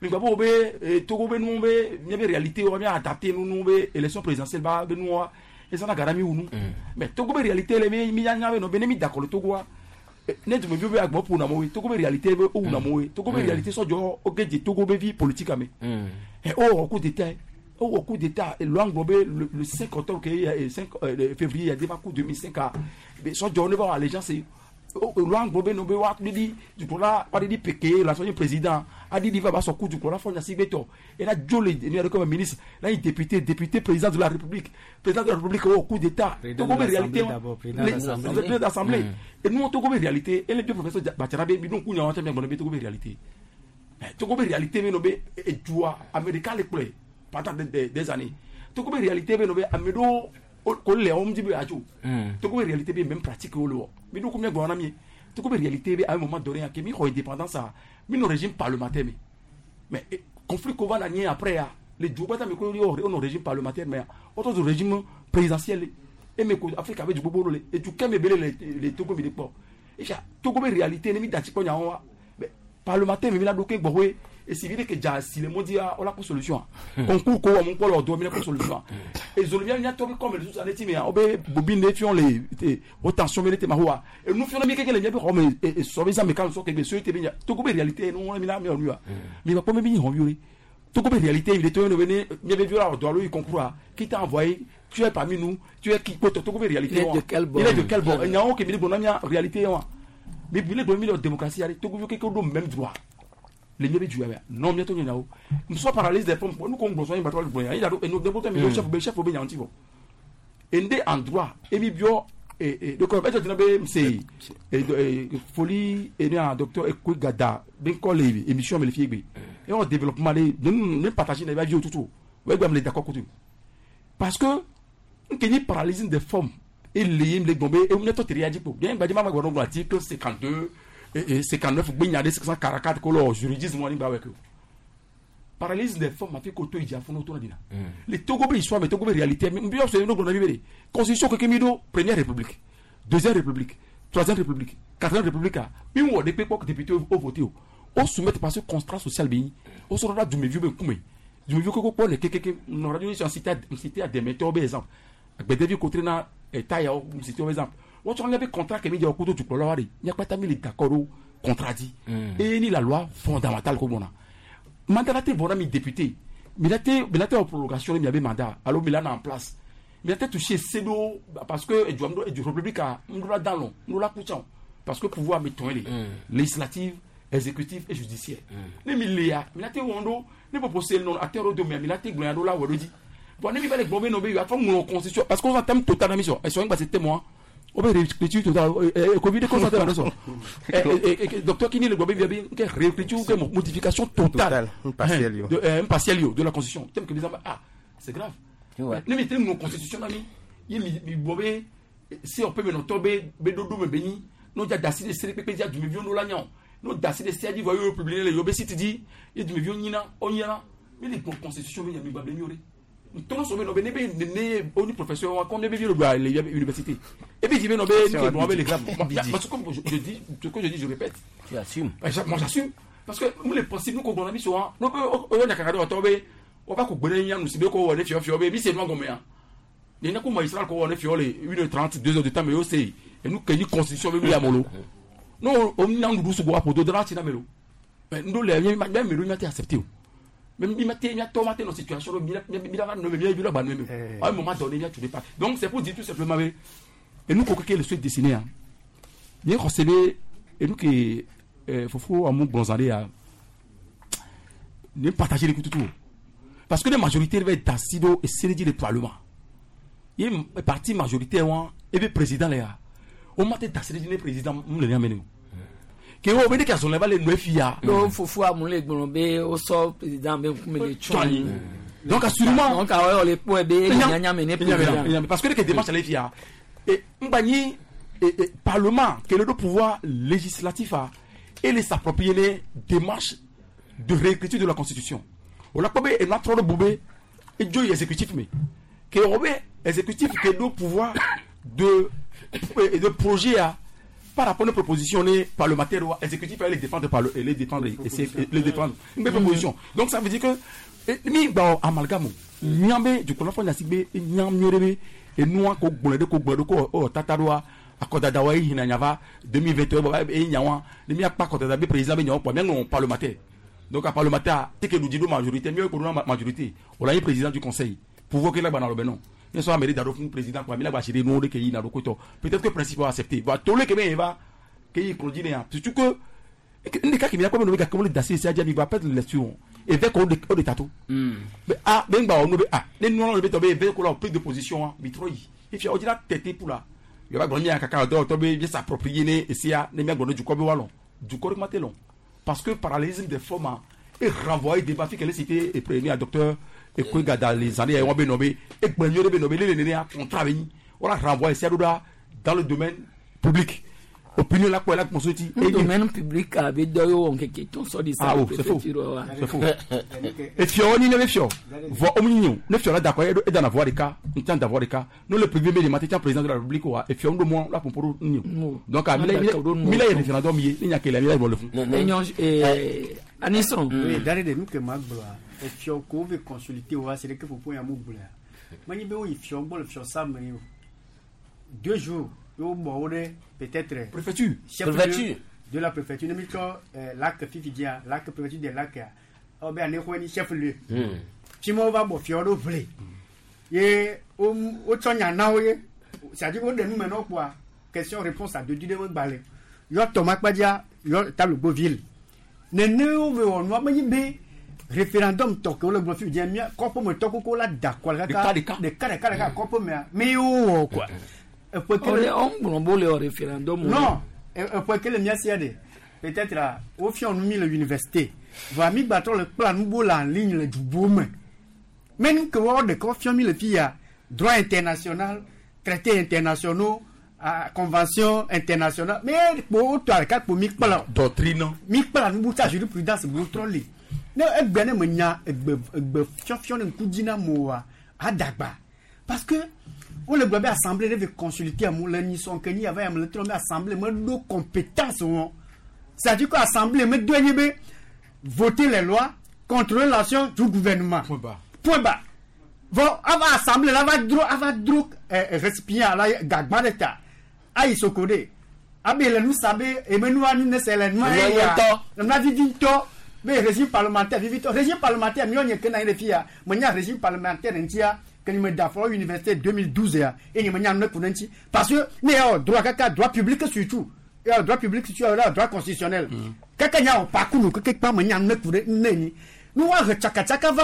Speaker 3: mi gba bo be togo be nu be mi be réalité o mi adapter nu nu be élection présidentielle ba be nu wa eza na gara mi wunu mais togo be réalité le mi mi nya be no be ne mi d'accord le togo wa ne tun bɛ fi bɛ agbɔ ƒo na mo ye togo be réalité be o wuna mo ye togo be réalité sɔdzɔ o ke dze togo be vie politique ame ɛ o wɔ coup d'état o wɔ coup d'état loi ŋgɔ be le 5 octobre ke 5 février ya deba coup 2005 a sɔdzɔ ne va wɔ allégeance loi ŋgɔ be no be wa didi dukɔla wa didi peke la sɔnyi président a didi va ba sɔ coup dukɔla fɔ nyasi gbɛtɔ et la dzo le ne yɛrɛ comme ministre là il député député président de la république président de la république o coup d'état togo be réalité président d'assemblée et nous togo be réalité et les deux professeurs Bachara be bi nous kunya wɔn tɛ mi gbɔdɔ be togo be réalité togo be réalité be no be edua américain le kplɔe pendant des années togo be réalité be no be ame ɖewo ko le wɔm dzi be adzo togo be réalité be même pratique wo le wɔ mi ɖo ko mi gbɔna mi Togo be réalité be à un moment donné ke mi xɔ indépendance a mi nɔ régime parlementaire me, mais conflit ko va na nye après ya le du kpata mi ko yo o nɔ régime parlementaire mais o tɔ zu régime présidentiel e me ko Afrique abe du gbogbo le edu kɛmɛ bele le Togo mi de kpɔ efia Togo be réalité ne mi dati kpɔ nyawo wa mais parlementaire mi la do ke gbɔwoe esi vi de ke dza si le mɔdi a o la ko solution concours ko wɔm kpɔ le ɔdɔ mi la ko solution ezolo mia tɔ be kɔme le susu ti mea wo be bobi ne fiɔ le o tension be ne te ma hoa enu fiɔ ne mi keke le mia be xɔ me sɔ be zã me kan sɔ kegbe so te be nya Togo be réalité nu wɔn mi la mi wɔ nu wa mi ba kpɔ mi be nyi hɔn vi o Togo be réalité mi de to ne be ne mia be vi la ɔdɔ alo yi concours a qui t'a envoyé, tu es parmi nous, tu es qui? Togo be réalité
Speaker 1: Il est de quel bord?
Speaker 3: Il est de quel bord? Nyawo ke mi de gbɔna mia réalité wa mi bi le gbɔna mi le démocratie ari Togo vi keke do même droit le mieux du non mieux to nyawo nous sommes paralyse des formes nous qu'on gbɔsɔn yin batɔ le gbɔnya yin do enu debo mi chef be chef be nyawo ti bɔ ende en droit et mi bio et donc be jɔ be se et folie et un docteur Ekwe Gada ben ko le émission me le fiegbe et on développement les ne partager na ba vie tout ouais gba me le d'accord côté parce que nkeni paralysie des formes et les le gombe et on est tout réagi pour bien ba di ma gba article 52 et 59 gbe de 544 ko lo juridisme woni ba weko paralysie des formes afi ko to ija fún to na dina le Togo be histoire mais Togo be réalité mais bi so no gbo na bi constitution ko kemido première république, deuxième république, troisième république, quatrième république a mi wo de pe ko député au voté o soumettre parce que contrat social bi o so ra du me vieux be kume du me vieux ko ko le kekeke no radio ni cité à des méthodes be exemple agbedevi ko trena état ya o cité exemple wọ́n tún lẹ́bi contrat kẹ́mi jẹ́ ọkú tó tukọ̀ lọ́wọ́ rẹ̀ nyakpata mi lè d'accord o contrat di et ni la loi fondamentale ko gbɔna mandat la te bɔra mi député mi la te o prolongation mi a bɛ mandat alors mi la na en place mi la te toucher sedo parce que edu edu république a n la dan lɔ n la kutsɔn parce que pouvoir mi tɔn ye le législative, exécutif et judiciaire ne mi le ya mi la te wɔn do ne proposé nɔ a tɛ yɔrɔ do mɛ mi la te gbɔnya do la wɔ do di bon ne mi ba le gbɔn bɛ nɔ bɛ yen a fɔ ŋlɔ constitution parce que on thème total na mi sɔn ɛsɔn gba se témoin o bɛ réécriture totale Covid constaté la sɔn docteur Kini le gbɔ bɛ bi kɛ réécriture kɛ modification totale partielle de la constitution thème que bizarre ah c'est grave ne mi tɛ ŋlɔ constitution na mi ye mi bɔ bɛ se o pe mi nɔtɔ bɛ bɛ dodo mi bɛ nyi n'o ja dasi de sere pepe ja dumeviwo n'o la ɲa o n'o dasi de sɛji vɔ y'o publier le y'o bɛ site di ye dumeviwo ɲina o ɲɛna mi le gbɔ constitution bɛ ɲa mi gba bilen y'o de tɔnɔ sɔmi nɔ bɛ ne bɛ ne o ni professeur wa comme ne bɛ don à l'université et puis je vais nɔ bɛ ne bɛ le grave parce que je dis ce que je dis, je répète.
Speaker 2: Tu assumes.
Speaker 3: Moi j'assume parce que nous les principes nous qu'on a mis souvent nous o yɔ nyakaka dɔ tɔ bɛ o b'a ko gbɛrɛ ɲa nusi bɛ ko wɔ ne fiɔ fiɔ bɛ mi se nua gɔmɛ yan ne ne ko magistrat ko wɔ ne fiɔ le 1h30, 2h de temps mais o se et nous kɛ ni constitution bɛ mi ya molo n'o o na nudu sugu wa poto dɔrɔn a ti na melo mais n do lɛ mi ma melo mi ma tɛ accepter o mais mi ma te mi tɔ ma te dans situation mi mi la no mi mi la ba no mi à un moment donné mi tu pas. Donc c'est pour dire tout simplement et nous ko que le souhait dessiné hein ni recevez et nous que fofo amu bonzalé à ne partager les coups tout parce que les majorités vont être d'assido et c'est le parlement il y a parti majoritaire et puis président là on m'a été d'assido le président on le rien ke wo be de ka sɔn le nɔ fia.
Speaker 1: Do fufu amu le gblɔ be o sɔ président be ŋkume le tsɔ anyi.
Speaker 3: Donc assurément.
Speaker 1: Donc awɔ le kpɔe be nyanya me ne président.
Speaker 3: Parce que de ke démarche ale fia et ngbanyi parlement ke le do pouvoir législatif a et les s'approprier les démarches de réécriture de la constitution. O la kpɔ be enua trɔ ɖe bu be edzo yi exécutif me ke wo be exécutif ke do pouvoir de projet a par rapport aux propositions les parlementaires exécutifs les défendre par les défendre les défendre une proposition. Donc ça veut dire que mi ba amalgame nyambe du coup la fois sigbe nyam nyorebe et nous ko gbolede ko gbolede ko o tataroa akodada wa hina nyava 2021 ba e nyawa ni mi apa akodada be président be nyawa po mais non parlementaire. Donc à parlementaire c'est que nous disons majorité mieux que nous majorité on a président du conseil pouvoir que là ba na le non ne soit mérite d'adopter un président quoi mais là va chérir nous que il n'a peut-être que principe va accepter va tout le que bien va que il conduit surtout que ne ka qui vient comme nous comme le dasser c'est déjà va perdre l'élection et vers qu'on de tatou mais ah ben ba on ah les nous on le tomber vers qu'on a pris de position mais trop et puis on dit la tête pour là il va gagner un caca d'or tomber bien s'approprier né et c'est ne bien du quoi wallon du corps matelon parce que parallélisme des formes et renvoyer débat qu'elle cité et premier à docteur et quoi dans les années on be nommé et gbenyo be nommé les né contrat on a renvoyé ça dans le domaine public. Opinion la kpɔ la kpɔnso ti.
Speaker 1: Domaine public a be dɔ yewo nkeke tɔn sɔ di sa.
Speaker 3: Ah oh, c'est faux. C'est faux. Efiɔ ni ne be fiɔ. Vɔ omu nyi o. Ne fiɔ la dakɔ e dana voix ɖeka, ntsan da voix ɖeka. No le privé be de mate tsa président de la République wa efiɔ ŋdo mɔ la pɔnpɔro nyi o. Donc a mi la ye référendum ye, ne nya ke la mi la bɔ le fun.
Speaker 1: Enyɔ Anisɔn.
Speaker 15: Oui, dari de nu ke ma gblɔa, efiɔ ko wo ve consulter wa se ɖe ke ƒoƒo ya mu gblɔa. Menye be woyi fiɔ gbɔ le fiɔ sa me o. 2 jours ye wobɔ wo ɖe peut-être.
Speaker 3: Préfecture.
Speaker 15: Chef
Speaker 2: Préfecture.
Speaker 15: De la préfecture. Ne mi tsɔ lac fifi dzia, lac préfecture de lac ya. Ewɔ be anexɔe ni chef lieu. Fi ma wova bɔ fiɔ ɖo ʋle. Ye wotsɔ nya na wo ye. C'est-à-dire woɖe nu me na wo kpoa, question réponse adodo ɖe megba le. Yɔ tɔ ma kpadzia, yɔ tablo ville. Nene wo ve wɔ nua menye be référendum tɔ ke wole gblɔ fifi dzia, mía kɔƒe me tɔ koko la da kɔ le kaka.
Speaker 3: Ɖeka
Speaker 15: ɖeka. Ɖeka ɖeka kɔƒe mea, me ye wowɔ quoi. Eƒe ke le-
Speaker 1: Ɔle ɔn gblɔ bo le référendum.
Speaker 15: Non, eƒe ke le mía sia ɖe. Peut-être wofiɔ nu mi le université. Vɔa mi gbatrɔ le kpla nu bo le en ligne le dubo me. Mais nu ke woawo ɖeka wofiɔ mi le fi ya, droit international, traité internationaux, convention internationale. Mais kpo wotɔ ɖeka kpo mi kpla o.
Speaker 3: Doctrine.
Speaker 15: Mi kpla nu bu tsa jurisprudence bu trɔ li. Ne egbe ne me nya egbe egbe fiɔfiɔ ne ŋku dzi na mo wa, adagba. Parce que wole gblɔ be assemblée ɖe ve consulter amewo le nyisɔ ke nyi ava ya me le trɔ be assemblée meɖo compétence wɔn. C'est-à-dire que assemblée medo enye be voter les lois, contrôler l'action du gouvernement.
Speaker 3: Point barre.
Speaker 15: Point barre. Bon, ava assemblée la va dro ava dro récipient la gagba ɖe ta. Ayi soko ɖe. Abe le nu sa be eme nua nu ne se le nua
Speaker 2: Nua
Speaker 15: ye ya.
Speaker 2: ŋutɔ.
Speaker 15: Nua vivi ŋutɔ. Be régime parlementaire vivi ŋutɔ. Régime parlementaire miɔ nye ke na anyi ɖe fia. Menya régime parlementaire ŋutia ke nye me da fɔ université 2012 ya. Eye nye menya nu ne ku ɖe ŋuti. Parce que ne ya wɔ droit kaka droit public surtout. Ya wɔ droit public surtout ya wɔ droit constitutionnel. Kaka nya wɔ parcours nu keke kpa menya nu ne ku ɖe ne nyi. Nu wa he tsakatsaka va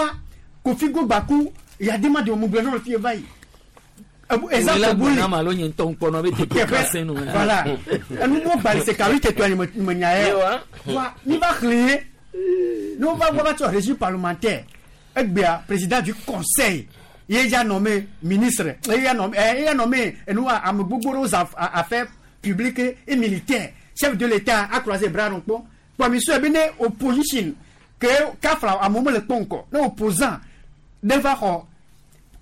Speaker 15: Kofi Gogbaku yadema de mu gblɔ na le fie va yi. Exemple
Speaker 1: bu
Speaker 15: bu
Speaker 1: le. Malo nye ŋutɔ ŋkpɔnɔ be tete kase nu.
Speaker 15: Voilà. Enu mo gbali se kawi tete anyi me nya ye. Wa mi va xlẽ ye. Ne wova gbɔ va tsɔ régime parlementaire. Egbea président du conseil ye ya nommé ministre. Ye ya nommé ye ya nommé enu ame gbogbo ɖewo za affaires publiques et militaires. Chef de l'État a croisé bras ɖo kpɔ. Kpɔ mi sɔe be ne opposition ke kafla amewo mele kpɔ ŋkɔ. Ne opposant ɖe va xɔ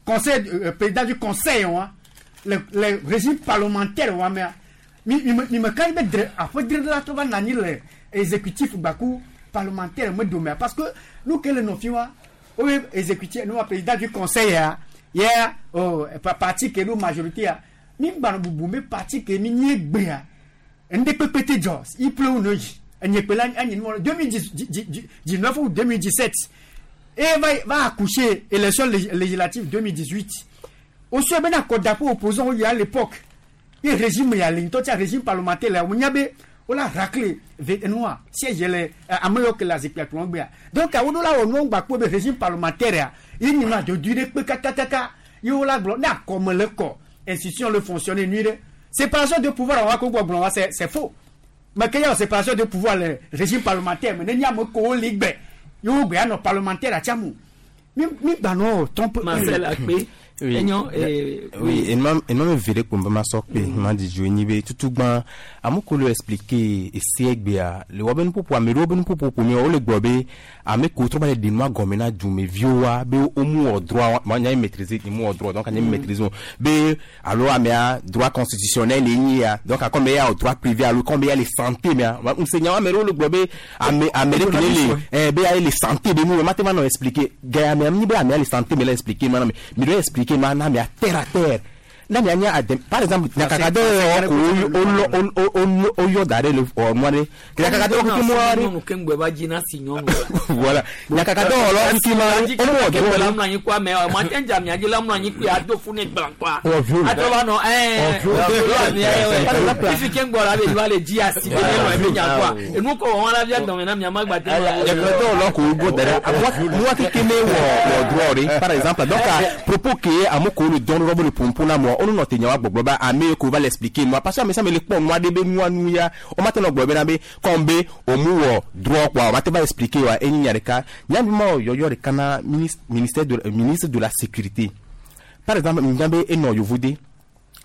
Speaker 15: conseil président du conseil wa le régime parlementaire wa mea mi mi me ka be dre aƒe dre la trɔ va na anyi le exécutif gbaku parlementaire me domea parce que nu ke le nɔfi wa wo be exécutif nu wa président du conseil ya ya oh parti ke ɖo majorité ya mi gbanɔ bubu be parti ke mi nye gbea ŋɖe kpekpe te dzɔ iple wo no yi enye kpe la anyi nu 2019 ou 2017 et va accoucher élection législative 2018. Au soir, ben accord d'appui opposant il y a à l'époque. Et régime il y a l'intotia régime parlementaire là, on y avait on l'a raclé noir siège les ameyo que la zipia plongbe. Donc à on là on va quoi régime parlementaire il n'y a de durée que kaka yo la glo na comme le corps institution le fonctionner nuire. Séparation de pouvoir on va quoi blanc c'est faux. Mais qu'il y a séparation de pouvoir le régime parlementaire mais n'y a mo ko ligbe. Yo gbe ano parlementaire achamu. Mi mi gbano trompe
Speaker 1: Marcel Akpe.
Speaker 26: Oui.
Speaker 1: Enyo
Speaker 26: Oui, et moi me vere ko ma sokpe ma di jo ni be tutu gban amoko lo expliquer e se egbe a le wo ben popo amero ben popo po mi o le gbo be ame ko tro ba le de ma gomena du me viowa be o mu o droit ma nya maîtriser ni mu o droit donc anya maîtriser be alo amea droit constitutionnel e ni ya donc comme ya o droit privé alo comme ya les santé mais on se nya amero le gbo be ame amere kele le eh be ya les santé be mu ma te ma no expliquer ga ame ni be ame les santé me la expliquer ma na mi do expliquer ma na mi a terre à terre na mi anya adem par exemple na kaka de o o o yo dare le o mo re na kaka de o ki mo re
Speaker 1: nyɔnu ke ŋgbɛ va dzi na si nyɔnu.
Speaker 26: Voilà na kaka de o lo ki ma o mo
Speaker 1: de
Speaker 26: do
Speaker 1: la mlɔ anyi kɔ ame o ma te dza mia dzi la mlɔ anyi kɔ ado fu ne gblã kɔa.
Speaker 26: O viol.
Speaker 1: Atrɔ va nɔ ɛɛ fifi ke ŋgbɔ la be va le dzi asi be ne nɔ ebe nya kɔa enu kɔ wɔn la via dɔmɛ na mia ma gba te.
Speaker 26: Nyakaka o lo ko go dare mo wa keke me wo wo droit re par exemple donc à propos que amoko le don robo le pompo na mo onu no te nyawa gbogbo ba ame ko va l'expliquer moi parce que ame ça me le pon moi de be nua nu ya o ma te no gbogbo na be kombe o mu wo droit quoi o ma te va expliquer wa eni nyareka nyambi ma yo yo re kana ministère de ministre de la sécurité par exemple ngambe eno yovude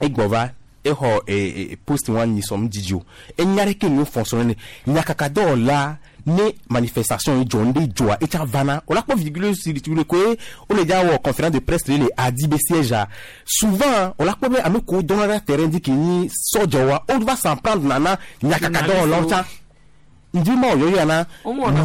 Speaker 26: e gbova Exɔ poste wa nyi sɔm dzidzi o. Enya ɖe ke nu fonctionner ne nyakakadɔwɔla ne manifestation yi dzɔ ŋɖe dzɔa etsa vana o la kpɔ vidéo si le koe o le dza wɔ conférence de presse le adi be siège a souvent o la kpɔ be ame kewo dɔna ɖe terrain dzi ke nyi sɔdzɔwoa o va s'en prendre nana nyakakadɔwɔlawo tsã ndi ma o yɔyɔ na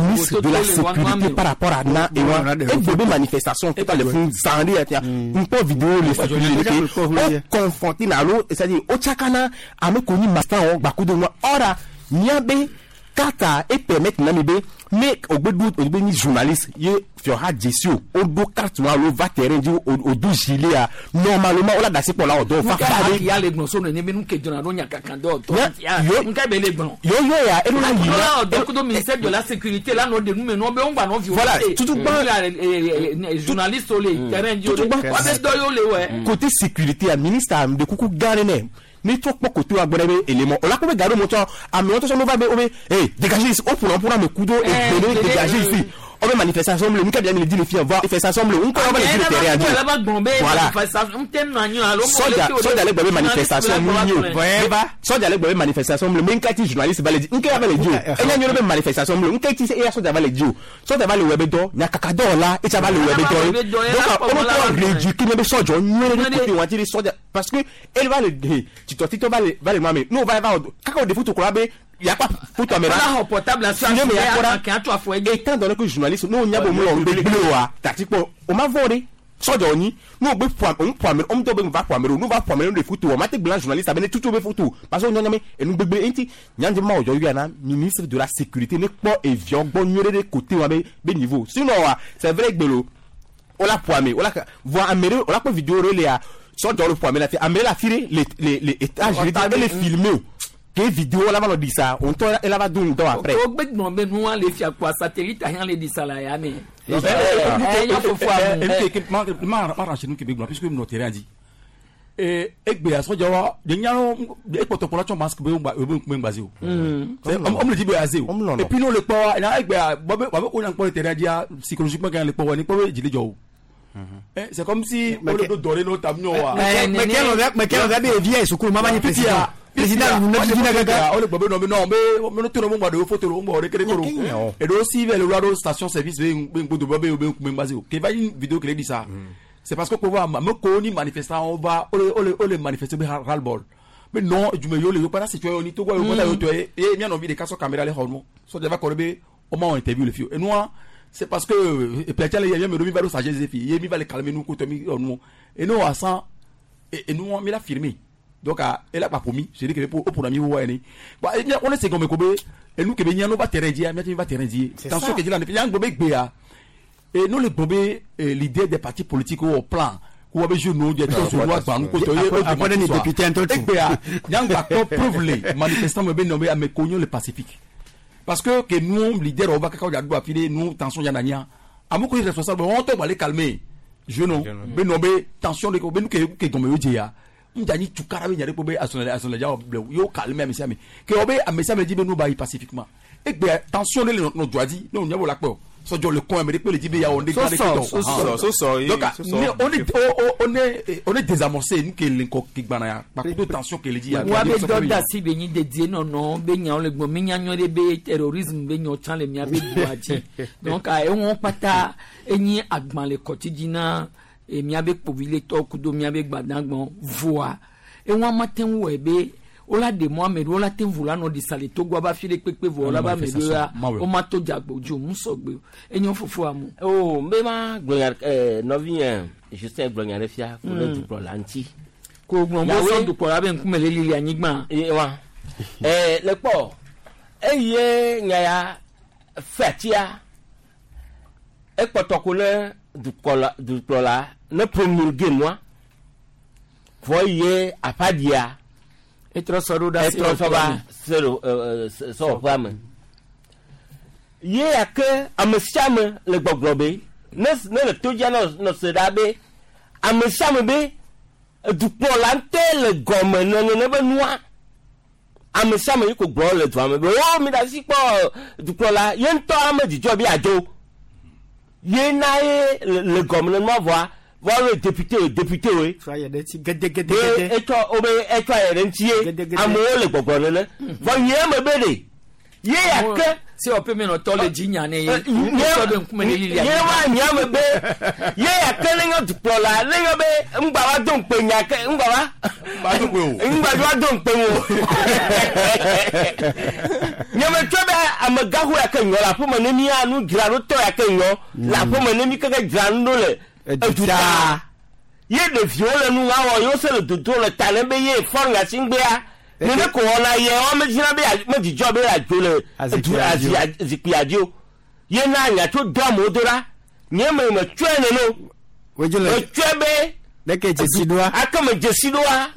Speaker 26: ministre de la sécurité par rapport à na ewa egbe be manifestation tout le fún zan ɖe ya nkpɔ vidéo le sécurité ke o confronté na alo c'est à dire o tsakana ame ko nyi master wɔ gbakudo nua ɔra miabe carte e permettre na mi be ne ogbe do ogbe ni journaliste ye fiɔha dzesi o o do carte wa alo va terrain dzi o do gilet a normalement o la da si kpɔ la o dɔw fa fa de.
Speaker 1: Ya le gbɔn so nene be nu ke dzɔna ɖo nyakaka dɔ tɔ nka be le gbɔn.
Speaker 26: Yɔyɔ ya eno la yi
Speaker 1: na. Ɔlɔ dɔ kudo ministère de la sécurité la nɔ de nu me nɔ be ŋgba nɔ
Speaker 26: Voilà, tutugba
Speaker 1: journaliste le terrain dzi o de wa be dɔ yewo le wɛ.
Speaker 26: Côté sécurité a ministre de kuku gã ɖe nɛ ni trɔ kpɔ côté wa gbɔ ɖe be élément o la kpɔ be gaɖo mɔtɔ amewo tɔ sɔ no va be o be eh dégagez ici o ƒona ƒona ame ku do egbe ne dégagez ici o be manifestation le nuka bia mi le di le fia va manifestation le ŋkɔ wa va le di le terrain dzi voilà sɔdza sɔdza le gbɔ be manifestation mu nyi o sɔdza le gbɔ be manifestation le me ŋka ti journaliste va le di ŋka va le di o enya nyɔ be manifestation le ŋka ti eya sɔdza va le di o sɔdza va le wɔ be dɔ nyakaka dɔwɔla etsa va le wɔ be dɔ ye donc o tɔ réduit kí ne be sɔdzɔ nyuie ɖe côté wa ti di sɔdza parce que elle va le titɔ titɔ va le va le ma me n'o va va kaka o de foto kura be yakpa foto ame
Speaker 1: la portable
Speaker 26: ne me yakpɔra étant donné que journaliste n'o nya bo mu lɔ ŋgbe gble wa tati kpɔ o ma vɔ de sɔdzɔ nyi n'o gbe ƒo ame ƒo ame ŋutɔ be va ƒo ame ɖo n'o va ƒo ame ɖo de foto o ma te gblẽ journaliste abe ne tutu be foto parce que o nyɔnyɔ me enu gbegble eŋuti nyandzɛ ma wòdzɔ yɔna ministre de la sécurité ne kpɔ eviɔ gbɔ nyuie ɖe côté wa be be niveau sinon wa c'est vrai gbelo o la ƒo ame o la voa ame ɖe o la kpɔ vidéo ɖe lea sɔdzɔ le ƒo ame la fi ame la fi ɖe le le le étage ɖe ele filmé o ke vidéo la va nɔ di sa o ŋutɔ ela va do ŋdɔ après.
Speaker 1: O gbe gbɔn be nua le fia kua satellite ahiã le di sa la ya ne.
Speaker 3: Ma arranger nu kebe gblɔ puisque nɔ terrain dzi egbe asɔdza wa de nyalo ekpɔtɔkpɔ la tsɔ masque be ŋgba be ŋgba ŋgba zi o. Ɔmu le dzi be aze o. Et puis n'o le kpɔ wa ena egbea bɔ be wa be ko nya kpɔ le terrain dzia psychologiquement kan le kpɔ wa ni kpɔ be dzi le dzɔ o. C'est comme si o le do dɔ ɖe n'o ta mi wa.
Speaker 18: Mais quel on avait via sukulu mama ni président président nous ne dit gaga
Speaker 3: o le gbɔ be nɔ be nɔ be me to nɔ ŋgba do photo lo ŋgba o de kele koro et do si vɛ le wa do station service be be ŋgbo do bɔ be be ŋkume ŋgba zi o ke va yi vidéo kele di sa. C'est parce que pour voir me ko ni manifestant on va o le manifester be ras le bol mais non jume yo le yo para situation ni to go yo kota yo to e mi anvi de kaso caméra le hono so de va ko be o ma interview le fio et nous c'est parce que et puis le ya me do mi va do sagesse fi ye mi va le calmer nous ko to mi nous et nous à ça et nous on mi l'a firmé donc elle a pas promis c'est dit que pour pour ami wa ni bah on est comme ko be et nous que be nyano va terrain dia mi va terrain dia tension que dit la ne yang be gbe ya et nous les bombes l'idée des partis politiques au plan où avait joué nous des tous wa ba nous ko to
Speaker 18: après les députés en tout
Speaker 3: et puis yang ba ko prouve les manifestants me be nommé à me cognon le pacifique parce que que nous leader on va kaka ya do filer nous tension ya nania amoko responsable on to va les calmer jeune be nommé tension de ko be nous que gombe yo ya ndani tukara be nyare ko be asonale asonale ja yo calmer amesi ami que obe amesi ami di be nous ba pacifiquement et puis tension de nos doit dit nous nyabo la peur sɔjɔ le kɔn amérique le di be ya on est
Speaker 26: donc
Speaker 3: on est désamorcé nous que l'inko ki gbana ya par contre tension que le di ya
Speaker 1: wa be dɔ da si be nyi dedie nɔnɔ be nyawo le gbɔ mi nya nyɔ de be terrorisme be nyɔ tsã le mia be doa dzi donc ewɔn kpata enyi agban le kɔtsi dzi na mia be kpoviletɔ kudo mia be gbadagbɔn voa ewɔn ma te ŋu wɔ be wola de mɔ ame ɖe wola te ŋu la nɔ ɖisa le Togo aba fi ɖe kpekpe vɔ wola ba ame ɖe ya wo ma to dzagbo dzo mu sɔgbe enyo fofo amu.
Speaker 2: O n bɛ ma gblɔnya ɛɛ nɔvi yẹn Justin gblɔnya ɖe fia ko ne dukplɔla ŋuti.
Speaker 1: Ko gblɔ bó sɔ dukplɔla be ŋkume le lili anyigba.
Speaker 2: Wa ɛɛ le kpɔ eye nya ya fɛtia ekpɔtɔ ko ne dukplɔla dukplɔla ne promulgué nua vɔ ye aƒadia.
Speaker 1: Etrɔ sɔ ɖo ɖa
Speaker 2: etrɔ sɔ va sɔwɔƒea me ye ya ke ame sia ame le gbɔgblɔ be ne le to dzia nɔ se ɖa be ame sia ame be dukplɔla ŋutɔe le gɔme nene be nua ame sia ame yi ko gblɔ le dua me be o mi ɖe asi kpɔ dukplɔla ye ŋutɔ ame dzidzɔ be adzo ye na ye le gɔme ne nua vɔa Vɔ le député o député o ye.
Speaker 15: Tsɔ ayɛ ɖe ŋuti gedegede.
Speaker 2: Be etsɔ wo be etsɔ ayɛ ɖe ŋuti ye amewo le gbɔgblɔ nene. Vɔ nye me be ɖe ye ya ke.
Speaker 1: Se wɔƒe me nɔtɔ le dzi nya ne ye. Sɔ ɖe ŋkume ne lilia.
Speaker 2: Nye wa nya me be ye ya ke ne nyɔ dukplɔla ne nyɔ be ŋgba va do ŋkpe nya ke ŋgba va. Ŋgba va do ŋkpe wo. Nye me tsɔ be amegaxo ya ke nyɔ le aƒeme ne mía nu dzra ɖo tɔ ya ke nyɔ le aƒeme ne mi keke dzra nu ɖo le eduta. Ye ɖeviwo le nu ŋa wɔ yewo se le dodo le ta ne be ye fɔ nya si ŋgbea. Nene ko wɔna ye wɔn medzina be medzidzɔ be adzo le edu azi zikpui dzi o. Ye na nya tso do amewo do ɖa. Nye me me tsɔe nene o. Me tsɔe be.
Speaker 15: Leke dzesi ɖoa.
Speaker 2: Ake me dzesi ɖoa.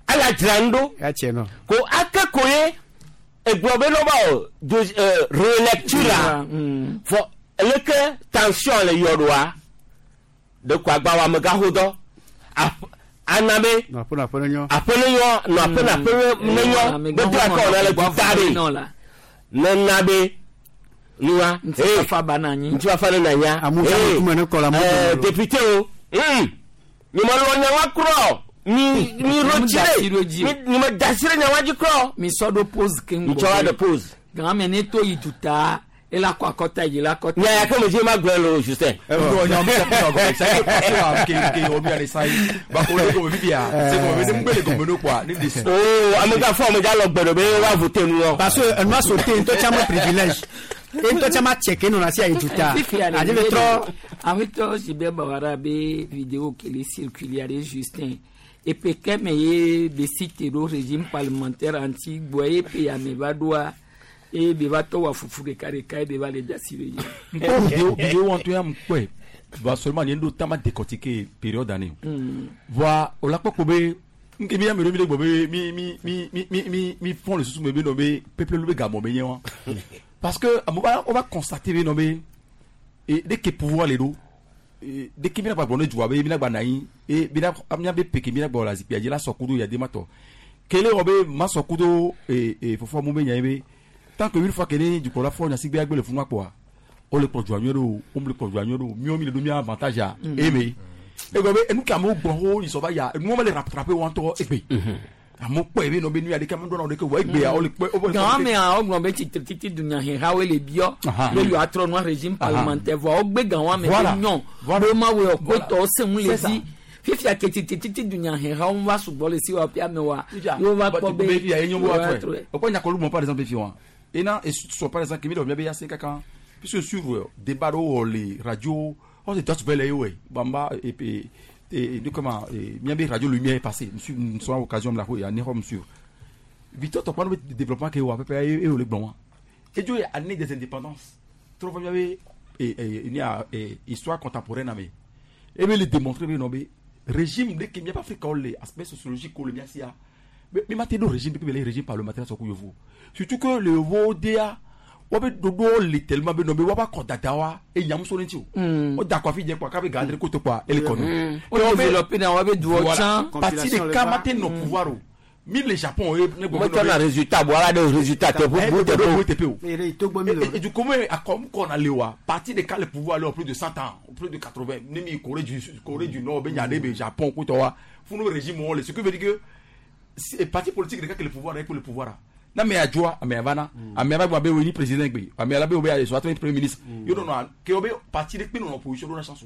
Speaker 2: Ala dzra nu ɖo.
Speaker 15: Ya tse nɔ.
Speaker 2: Ko ake ko ye egblɔ be nɔba o do relecture fɔ leke tension le yɔ ɖoa. Ɖeko agbawo amegaxo dɔ. Ana be
Speaker 15: Nɔ aƒe nɔ aƒe ne nyɔ.
Speaker 2: Aƒe ne nyɔ nɔ aƒe nɔ aƒe ne nyɔ. Gbɛtɔ akɔ wɔna le duta ɖe. Nena be nua.
Speaker 1: Ŋutifafa ba na anyi.
Speaker 2: Ŋutifafa ne na nya.
Speaker 15: Amewo ƒe ŋkume ne kɔ le amewo dome.
Speaker 2: Député o. Nye me lɔ nya wa krɔ. Mi mi ro tsi ɖe. Mi nye me da asi ɖe nya wa dzi krɔ.
Speaker 1: Mi sɔ ɖo pause keŋ.
Speaker 2: Mi tsɔ wa ɖe pause.
Speaker 1: Gã me ne to yi duta. Ela kɔ akɔta yi la kɔta.
Speaker 2: Nya ya ke me dzi ma gblɔ le o Justin.
Speaker 3: Non, non, mais ça, c'est que on lui a ça. Ba ko le ko bibia. C'est ko be ngbele ko meno quoi. Ni dis.
Speaker 2: Oh, amega fɔ amega lɔ gbɛdɔ be wa voter nu wɔ.
Speaker 15: Parce que enua sauté ŋutɔ tsã me privilège. E ŋutɔ tsã ma tse ke nɔna si ayi duta. Adi be trɔ.
Speaker 1: Awetɔ si be bawara be vidéo ke le circuler ɖe Justin. Epe ke me ye be cité ɖo régime parlementaire anti gbɔ ye pe ame va ɖoa. E be va tɔ wa fufu ɖeka ɖeka ye be va le dasi ɖe dzi.
Speaker 3: Vidéo vidéo en tout cas mkwe. Va seulement ni ndo tama décortiquer période année. Voa o la kpɔ be nke mi ame ɖe mi le gbɔ be mi mi mi mi mi mi mi font le susu me be no be peuple lu be gamɔ be nye wa. Parce que on va constater be no be et dès que pouvoir le do et dès que mi na gba gbɔ ne dua be mi na gba na anyi et mi na mi be peke mi na gbɔ la zikpui dzi la sɔ kudo ya de ma tɔ. Kele wɔ be ma sɔ kudo et et fɔfɔ mu be nya ye be tant que une fois que ni du la fɔ nya si gbe agbe le funu akpɔa o le kplɔ dua nyuie ɖo o le kplɔ dua nyuie ɖo miwo mi le do mia avantage a eme egbe be enu ke amewo gbɔ ho yi sɔ va ya enuwo me le rattraper wɔn ŋutɔ egbe amewo kpɔ ebe nɔ be nu ya ɖeke amewo ɖo na wo ɖeke wɔ egbea wo le kpɔ.
Speaker 1: Gã mea wogblɔ be tsitre titi dunyahehawoe le biɔ be yewoatrɔ nua régime parlementaire vɔ wogbe gã wa me be nyɔ be ma wɔ kotɔwo se ŋu le dzi fifia ke tsitre titi dunyahehawo va sugbɔ le si wa ƒea me wa yewo va kpɔ be yewoatrɔe.
Speaker 3: O kɔ nyakɔlu mɔ par exemple fi wa ena et soit par exemple kimi dɔ mi be ya se kaka puisque suivre débat ɖo le radio on se doit belle ouais bamba et et et de comment mi be radio lumière est passée monsieur nous sommes occasion la ya ni hom suivre Victor Tokpano développement que wa peu et le bon et Dieu année des indépendances trop mi be et il y a histoire contemporaine mais et be le démontrer be non be régime de qui mi pas Afrique les aspect sociologique le mi asia mais ma do régime be le régime parlementaire so ku yovo surtout que le yovo DA wọ́n bɛ dodo le tellement bɛ nɔ bɛ wọ́n b'a kɔ dada wa e ɲamuso ne ti o. O da kɔfi jɛ quoi k'a bɛ gandre ko to quoi ele kɔnɔ.
Speaker 1: O développé na wọ́n bɛ duwɔ can.
Speaker 3: Parti de kama tɛ nɔ pouvoir o. Mi le Japon ye ne
Speaker 2: gbɔ. Mo tɔ na résultat bɔ ala de résultat tɛ
Speaker 3: bu tɛ pe o. Et du coup a kɔ kɔ na le wa parti de ka le pouvoir le plus de 100 ans plus de 80 ne mi Corée du Nord bɛ ɲa bɛ Japon ko tɔ wa funu régime wɔn le ce qui veut dire que parti politique de ka le pouvoir pour le pouvoir. Na me adjoa ame avana ame ava gba be ni président gbe ame ala be obe ayi soit premier ministre yo no no ke obe parti de pe no opposition do na chance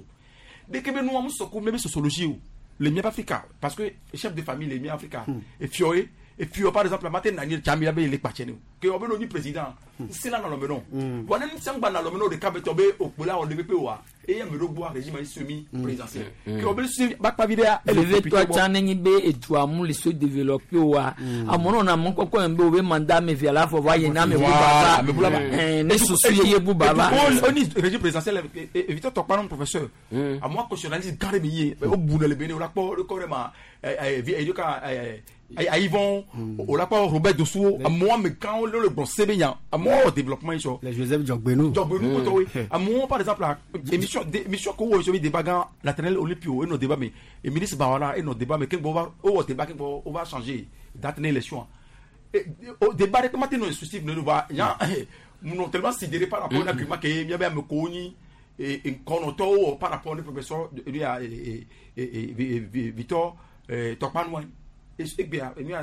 Speaker 3: de ke be no am soko me be sociologie o le mien Africa parce que chef de famille le mien Africa et fioé et puis par exemple matin nani chambi be le kpache ni ke obe no ni président c'est là dans le non voilà ni sangba na le non de kabe tobe opola on devait pe wa et ya me do boire régime semi présidentiel ke obe si ba pa vidéo
Speaker 1: elle toi tsan be edua mu le se développer wa amono na mo koko en be obe mandat me via la fo va yena me bu baba ne susu ye bu baba
Speaker 3: on ni régime présidentiel Victor Tokpano professeur à moi constitutionnaliste garde me o bu le bene o la po le corema à Yvon, au la Robert Dossou, à moi, mais quand le bon c'est bien, à moi, au développement,
Speaker 15: les Joseph Djogbenou.
Speaker 3: Djogbenou, à moi, par exemple, émission, émission, qu'on a débat, Nathaniel Olympio, et nos débats, mais, et ministre Bawala, et nos débats, mais, qu'on va, au débat, on va changer, date l'élection. Au débat, comment tu nous instructif, nous va, nous tellement sidéré par rapport à l'argument que, il y avait un nkɔnɔtɔwo wɔ par rapport ne professeur ya Victor Tɔkpanua egbea enu ya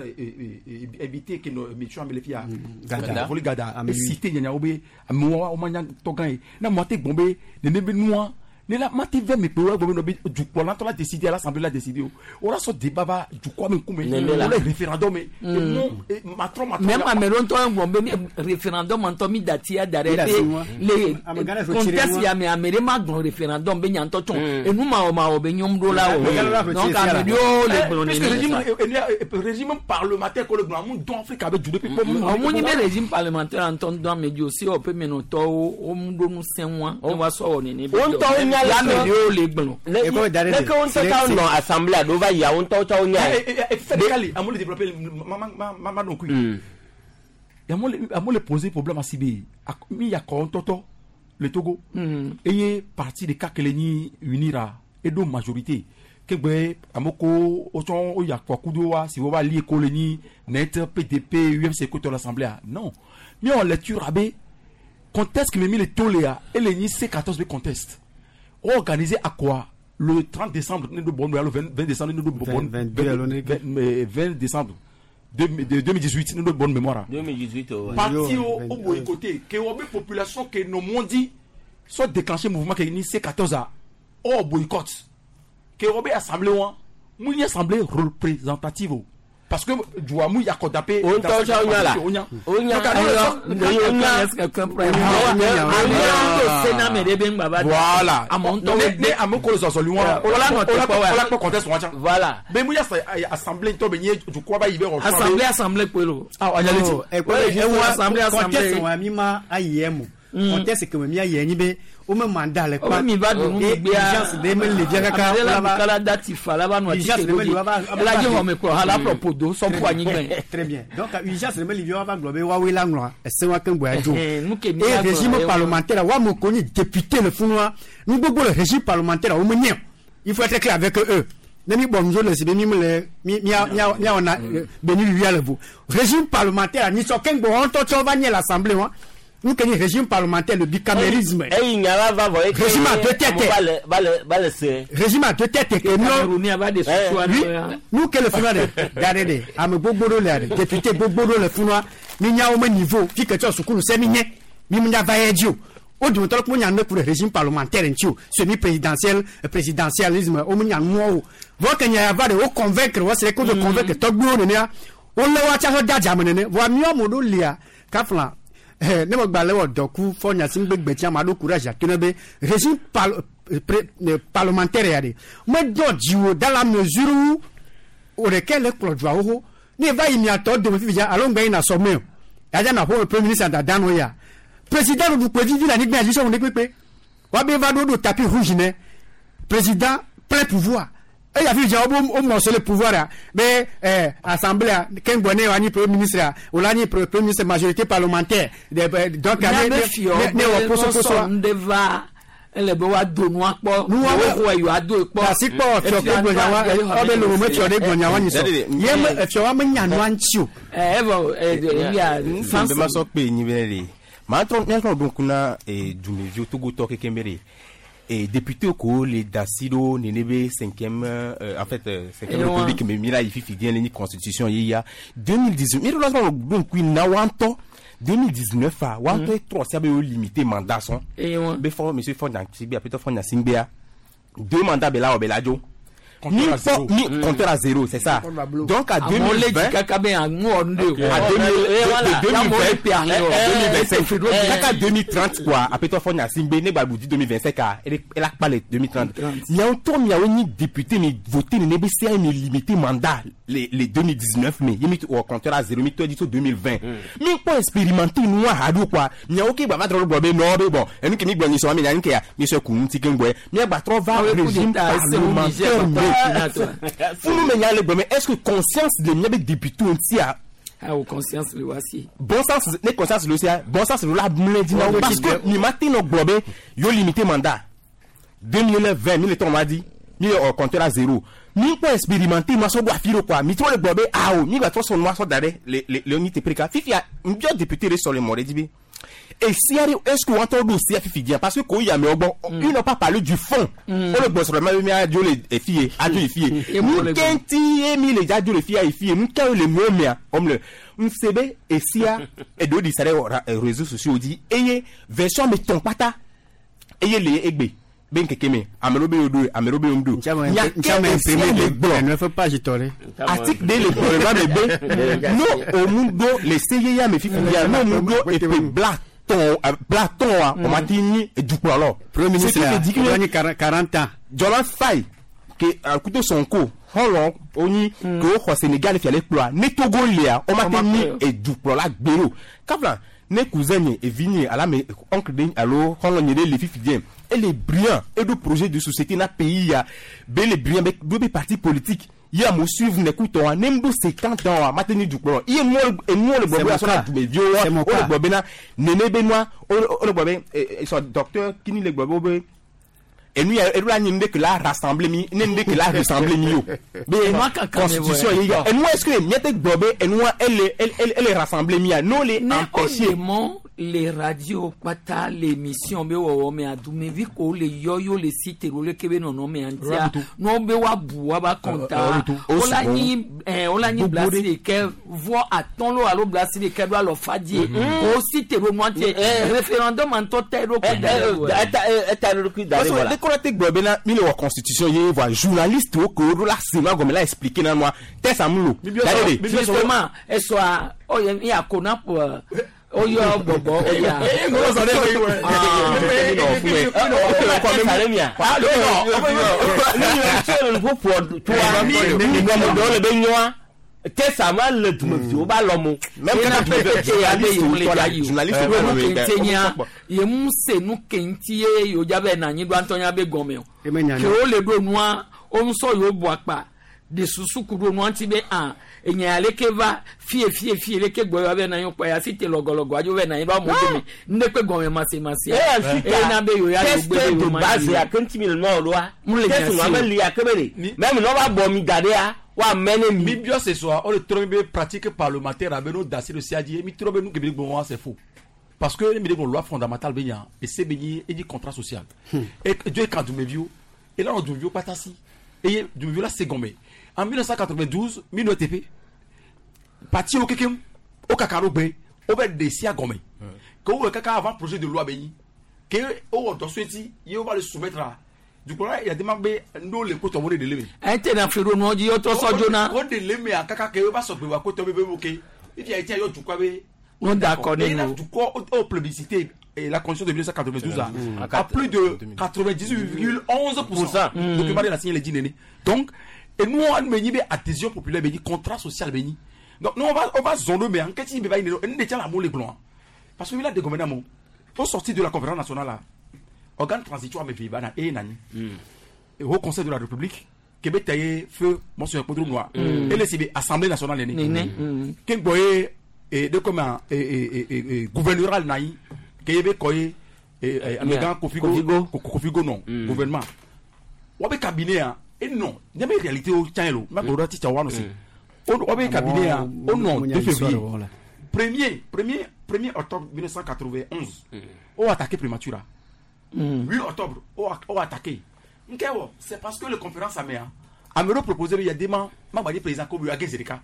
Speaker 3: éviter ke nɔ émission ame le fia
Speaker 15: Gada.
Speaker 3: Voli gada
Speaker 15: Ame
Speaker 3: cité nyanyawo be amewo wo ma nya tɔgã ye ne amewo te gbɔn be nene be nua ne la ma te vɛ me kpe wo gbɔn be nɔ be dukplɔla ŋutɔ la décider l'assemblée la décider o wo la sɔ débat va dukɔa me ŋkume
Speaker 2: Nene la.
Speaker 3: wo le référendum me enu matrɔ matrɔ
Speaker 1: Même ame ɖewo ŋutɔ gblɔ be référendum ŋutɔ mi dati ya da ɖe
Speaker 15: Mi dati
Speaker 1: be
Speaker 15: wa.
Speaker 1: le
Speaker 15: Ame gã ɖe ƒe
Speaker 1: contexte
Speaker 15: tsi ɖe
Speaker 1: ya me ame ɖe ma gblɔ référendum be nya ŋutɔ tsɔ
Speaker 2: Mm.
Speaker 1: enu mawɔ mawɔ be nyɔm ɖo la o
Speaker 15: Ame gã ɖe ƒe
Speaker 1: donc
Speaker 15: tsi ɖe
Speaker 1: ame ɖewo le gblɔ
Speaker 3: puisque
Speaker 1: nene.
Speaker 3: régime régime parlementaire ko le gblɔ amu dɔn Afrique abe du ɖe kpekpe mu
Speaker 1: Ɔmu nyi be régime parlementaire ŋutɔ ŋdɔ ame dzi o si wɔ ƒe menɔtɔwo wo ŋu ɖo ŋusẽ wa ne woasɔ wɔ nene be
Speaker 2: Wo
Speaker 1: dɔ.
Speaker 2: ŋutɔwo nya le
Speaker 1: Ya ame
Speaker 2: ke-
Speaker 1: ɖewo le gblɔ.
Speaker 2: Ne
Speaker 15: Ekɔ da ɖe
Speaker 2: ne ke wo ŋutɔ tsa nɔ assemblée aɖewo va yia wo ŋutɔwo tsa wo nya ye.
Speaker 3: Fɛdekali amewo le développer ma ma ma ma ma ɖo ŋkui amewo le amewo le poser problème asi be mi ya kɔ ŋutɔtɔ le Togo eye parti ɖeka ke le nyi UNIRA eɖo majorité ke gbe amewo ko wotsɔ wo ya kɔ kudo wa si wo va lié ko le nyi net PDP UFC ko tɔ l'assemblée a non mi wɔ lecture abe contexte me mi le to lea ele nyi C14 be contexte wo organiser akɔa le 30 décembre ne do bɔn alo 20 décembre ne do bɔn
Speaker 15: 22 alo ne ke.
Speaker 3: 20 décembre 2018 ne do bonne mémoire
Speaker 2: 2018 o.
Speaker 3: parti o o boycotté ke wo be population ke no mondi soit déclencher mouvement ke ni C14 a o boycott ke wo be assemblée wa mu ni assemblée représentative o parce que duwa mu yakodape
Speaker 2: O ŋutɔ tsa wo nya la.
Speaker 3: o nya
Speaker 2: O nya.
Speaker 3: Donc,
Speaker 2: O nya.
Speaker 1: Est-ce que quelqu'un prend- Ame ɖewo to se na ame ɖe be ŋgba va da.
Speaker 3: Voilà.
Speaker 1: Ame ŋutɔwo
Speaker 3: Ne ne ame ko le zɔzɔli wa.
Speaker 1: Wo la nɔ teƒe wa.
Speaker 3: O la kpɔ contexte wa tsã.
Speaker 2: Voilà.
Speaker 3: Be mu ya sa assemblée ŋutɔ be nye dukɔa ba yi be wɔ.
Speaker 1: Assemblée assemblée kpoe lo.
Speaker 3: Ah anyaleti.
Speaker 15: Oh,
Speaker 1: Ouais, juste assemblée, assemblée.
Speaker 15: contexte wa mi ma ayi emu contexte ke me mi ayi enyi be wo me mandat le
Speaker 1: Wo be mi va ɖu nu
Speaker 15: Et
Speaker 1: gbea.
Speaker 15: urgence ɖe me le via kaka
Speaker 1: Ame ɖe la
Speaker 15: wo la va-
Speaker 1: ɖu kala dati fa la va nɔ
Speaker 15: Urgence
Speaker 1: atike
Speaker 15: ɖe me
Speaker 1: ɖo
Speaker 15: li wa va-
Speaker 1: dzi. Ela dzi xɔme kplɔ ha la ƒlɔ ƒodo sɔ ƒu anyigba.
Speaker 15: Très bien. Donc, urgence ɖe me li via wa va gblɔ be woawoe la ŋlɔ ese wa keŋ gbɔa dzo.
Speaker 1: Ɛhɛn, nu ke mi
Speaker 15: Et
Speaker 1: la gblɔ
Speaker 15: régime
Speaker 1: ye wa.
Speaker 15: parlementaire wa me ko nyi député le funua nu gbogbo le régime parlementaire wo me nye o. Il faut être clair avec eux. Ne mi bɔ nudzo le si be mi me le mi mia mia mia wɔna be mi wia le vo. Régime parlementaire nyitsɔ keŋ gbɔ wɔn ŋutɔ tsɔ va nye l'assemblée wa. Nu ke nyi régime parlementaire le bicamérisme.
Speaker 2: Eyi nya la va vɔ ye. ke
Speaker 15: Régime à deux têtes.
Speaker 2: amewo va le va le va le se.
Speaker 15: Régime à deux têtes ke nɔ.
Speaker 1: Camerounais va de susua
Speaker 15: Oui,
Speaker 1: nɔ ya.
Speaker 15: nu ke le funua ɖe da ɖe ɖe ame gbogbo ɖewo le ɖe député gbogbo ɖewo le funua mi nya wo me niveau fi ke tsɔ sukulu se mi nye mi mu nya va ye dzi o wo dometɔ ɖe kpo nya nu ku ɖe régime parlementaire ŋuti o semi présidentiel présidentialisme wo me nya nuawo o vɔ ke nya ya va ɖe wo convaincre wo se ko de convaincre tɔgbuiwo nenea wo lé wo atsa de adzame nene vɔa míawo ame ɖewo lia kafla ne me gba le wɔ dɔku fɔ nya si ŋgbe gbetsi ame aɖewo courage ato ne be régime parlementaire ya ɖe medɔ dziwò dans la mesure où o ɖeke le kplɔ dua xoxo ne va yi miatɔ dome fifi dza alo ŋgbɛ yina sɔmɛ o yadza na ƒo premier ministre dada nɔ ya président ɖuɖu kpe vivi le anyigba dzi sɔmu ne kpekpe wabe va ɖo ɖo tapis rouge ne président plein pouvoir eya fifi dza wo wo morceau le pouvoir ya be assemblée keŋgbɔ ne wa nyi premier ministre ya o la nyi premier ministre majorité parlementaire de donc
Speaker 1: Mía
Speaker 15: ne
Speaker 1: be
Speaker 15: ne
Speaker 1: fiɔ
Speaker 15: ne
Speaker 1: be
Speaker 15: wɔ posoposo
Speaker 1: nɔsɔ nu ɖe va ele be woado nua kpɔ.
Speaker 15: Nua
Speaker 1: Wo
Speaker 15: be-
Speaker 1: xɔe yewoado kpɔ.
Speaker 15: asi kpɔ fiɔ ke gblɔ nyawa ɔbe lolo me fiɔ ɖe gblɔ nyawa nyi sɔ ye me efiɔ wa me nya nua ŋuti o.
Speaker 1: Ɛ evɔ ɛ ya
Speaker 26: Nse be ma sɔ kpe nyi be le maa trɔ míatrɔ ɖo ŋku na dumeviwo togotɔ kekeŋ be ɖe député ko le da si ɖo nene be cinquième en fait cinquième
Speaker 1: Ewa.
Speaker 26: république me mi la yi fifi diɛ le nyi constitution ye ya 2018 mi ɖo la trɔ ɖo ŋku na wa ŋutɔ 2019 a wa ŋutɔ trɔ sia be yewo limité mandat sɔn
Speaker 1: Ewa.
Speaker 26: be fɔ monsieur Faure Gnassingbé apetɔ Faure Gnassingbéa deux mandats be la wɔ be la dzo
Speaker 3: Compteur
Speaker 26: mi
Speaker 3: à zéro.
Speaker 26: kpɔ mi compteur à zéro c'est ça donc à
Speaker 1: Amewo le dzi
Speaker 26: 2020
Speaker 1: kaka be aŋu wɔ nu ɖe o.
Speaker 26: à 2020
Speaker 1: pe ahlɛ o.
Speaker 26: 2025 kaka 2030 quoi apetɔ Faure Gnassingbé ne gba di 2025 a ele ela kpa le 2030 miawo ŋutɔ miawo nyi député mi voté nene be sea mi limité mandat le 2019 me ye mi wɔ compteur à zéro mi tɔ di so 2020 mi kpɔ expérimenté nua haɖo quoi miawo ke gba va trɔ gblɔ be nɔ be bon enu ke mi gblɔ nyisɔ mi nya nu ke ya mi sɔ ku ŋuti keŋ gbɔe mia gba trɔ va
Speaker 1: Awo coup
Speaker 26: régime
Speaker 1: d'État, ese wo Niger,
Speaker 26: parlementaire me
Speaker 1: Burkina, toi.
Speaker 26: funu me nya le gblɔ me est ce que conscience le mia be député ŋutia
Speaker 1: Awo conscience le wa si.
Speaker 26: bon sens ne conscience le sia bon sens le la mlɛ di na wo parce que mi ma te nɔ gblɔ be yo limité mandat 2020 mi le tɔn ma di mi le ɔ compteur à zéro mi kpɔ expérimenté ma sɔ bɔ afi ɖo quoi mi trɔ le gblɔ be awo mi gba trɔ sɔ nua sɔ da ɖe le le le nyi teƒe ɖeka fifia n biɔ député ɖe sɔ le mɔ ɖe dzi be Et si est-ce que wɔntɔ do si fifi diɛ parce que ko yamɛ gbɔ ils n'ont pas parlé du fond. O le gbɔ sɔrɔ ma mi adzo le efi ye adzo efi ye nu kɛntɛ ye mi le adzo le fi ya efi ye nu kɛ le miɔ mia ɔmu le n se be esia eɖewo di sa ɖe réseaux sociaux dzi eye version me tɔn kpata eye le egbe be nkeke me ame ɖewo be yewo ɖo ame ɖewo be yewo ɖo nya ke esia le gblɔ article ɖe le gblɔ le va me be no omu ɖo le se yeya me fifi ya no omu ɖo epe bla tɔn bla tɔn wa o ma ti nyi dukplɔlɔ.
Speaker 15: Premier ministre a o nyi 40 ans.
Speaker 26: Jɔla Faye ke kuto Sonko xɔlɔ onyi ke woxɔ Sénégal fia le kplɔa ne Togo lia o ma te nyi edukplɔla gbe o kafla ne cousin nye evi nye ala me oncle de alo xɔlɔ nye ɖe le fifi diɛ ele brillant eɖo projet de société na pays ya be le brillant be do be parti politique ye amewo suivre ne kutɔ wa ne m ɖo 50 ans wa ma te nyi dukplɔlɔ iye enuwo le gbɔ be asɔ na dumeviwo wa o le gbɔ bena nene be nua o le gbɔ be sɔ docteur kini le gbɔ be wo be enu ya eɖo la nyi nu ɖe ke la rassembler mi ne nu ɖe ke la ressembler mi o be constitution ye ya enua est ce que miate gblɔ be enua ele ele rassembler mi ya n'o le empêcher.
Speaker 1: Les radios kpata l'émission be wɔwɔ me adumevi ko le yɔ yo le site ro le kebe nɔnɔ me antia n'o be wa bu wa ba kɔnta o la nyi o la nyi blasi de kɛ vɔ atɔn lo alo blasi de kɛ do alɔ fa die o site ro nu antie référendum antɔ tɛ ɖo ko da
Speaker 2: ɖe eta ɖo kui da ɖe
Speaker 26: voilà. Parce que gblɔ bena mi le wɔ constitution ye voa journaliste wo ke wo ɖo la se nua gɔme la expliquer na nua test amu lo.
Speaker 1: Justement esɔa ɔyɛ ya kona oyɔ gbɔgbɔ oya.
Speaker 2: Tesa ma le dumeviwo ba lɔ mo.
Speaker 1: Ye mu se nu ke ŋuti ye yewo dza be na anyigba ŋutɔ nya be gɔme o. Ke wo le ɖo nua wo ŋusɔ yewo bu akpa de susu ku ɖo nua ŋuti be a enya ya leke va fie fie fie leke gbɔ yewo be na anyi kpɔ ya si te lɔgɔlɔgɔ adzo be na anyi ba mo dome ŋɖe kpe gɔme masemase.
Speaker 2: Eye
Speaker 1: na be yewo ya yewo gbe be yewo ma
Speaker 2: yi. Test de base ya ke ŋuti mi le nua ɖoa. Test nua me lia ke be de. Mɛ mi nɔ va bɔ mi da ɖea. Wa mɛne mi.
Speaker 3: Mi biɔ ce soir o le trɔ mi be pratique parlementaire abe no dasi le sia dzi mi trɔ be nu ke mi gbɔn wa c'est faux. Parce que mi de loi fondamentale be nya et c'est be nyi e di contrat social. Et Dieu kan dumeviwo et là on dumeviwo kpata si et dumeviwo la se gɔme. En 1992 mi no TP parti o kekem o kaka ɖo gbe o bɛ de sia gɔme. Ke wo kaka avant projet de loi be nyi ke o wɔ dɔ so eti ye o va le soumettre à du coup là il y a des membres n'o le kotɔ mo de le me.
Speaker 1: Ɛ tɛ na feere nɔ ji yɔtɔ sɔ joona.
Speaker 3: O de le me a kaka ke o b'a sɔrɔ gbewa kotɔ bɛ bɛ ke et puis a été yɔ dukɔ bɛ.
Speaker 1: Non d'accord ne
Speaker 3: nous. Dukɔ o plébiscité et la constitution de 1992 à plus de 98,11%. Document de la signé les dix nene. Donc et nous on me dit adhésion populaire be contrat social be. Donc nous on va zoner mais en qu'est-ce qui va y nous détient la mot les blancs parce que là des gouvernements au sortir de la conférence nationale là organe transitoire me vibana et nani et au conseil de la République Québec taillé feu monsieur Podro noir et le CB assemblée nationale né Kengboye et de comment et gouvernoral naï Kébé koye et amegan Kofigo Kofigo non gouvernement wabe cabinet et non n'y a pas réalité au tien lo ma godo ti tchawa aussi wabe cabinet au non 2 février 1er octobre 1991 on a attaqué primature 8 octobre, on a attaqué. C'est parce que la conférence a me proposé, il y a des gens qui président comme Zerika.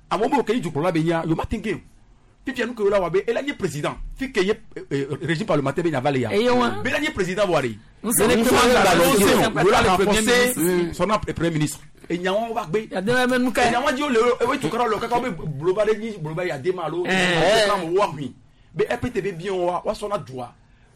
Speaker 3: À moment où il y a du il y a un Puis nous que là et là président, puis que régime parlementaire il y a valé. Mais là président voiri.
Speaker 1: Nous
Speaker 3: renforcer son premier ministre. Et n'y a on va be.
Speaker 1: Il y a des mêmes nous
Speaker 3: Il y a dit le tout le kaka be global ni global il y a des malo. Be RPTB bien wa son a droit.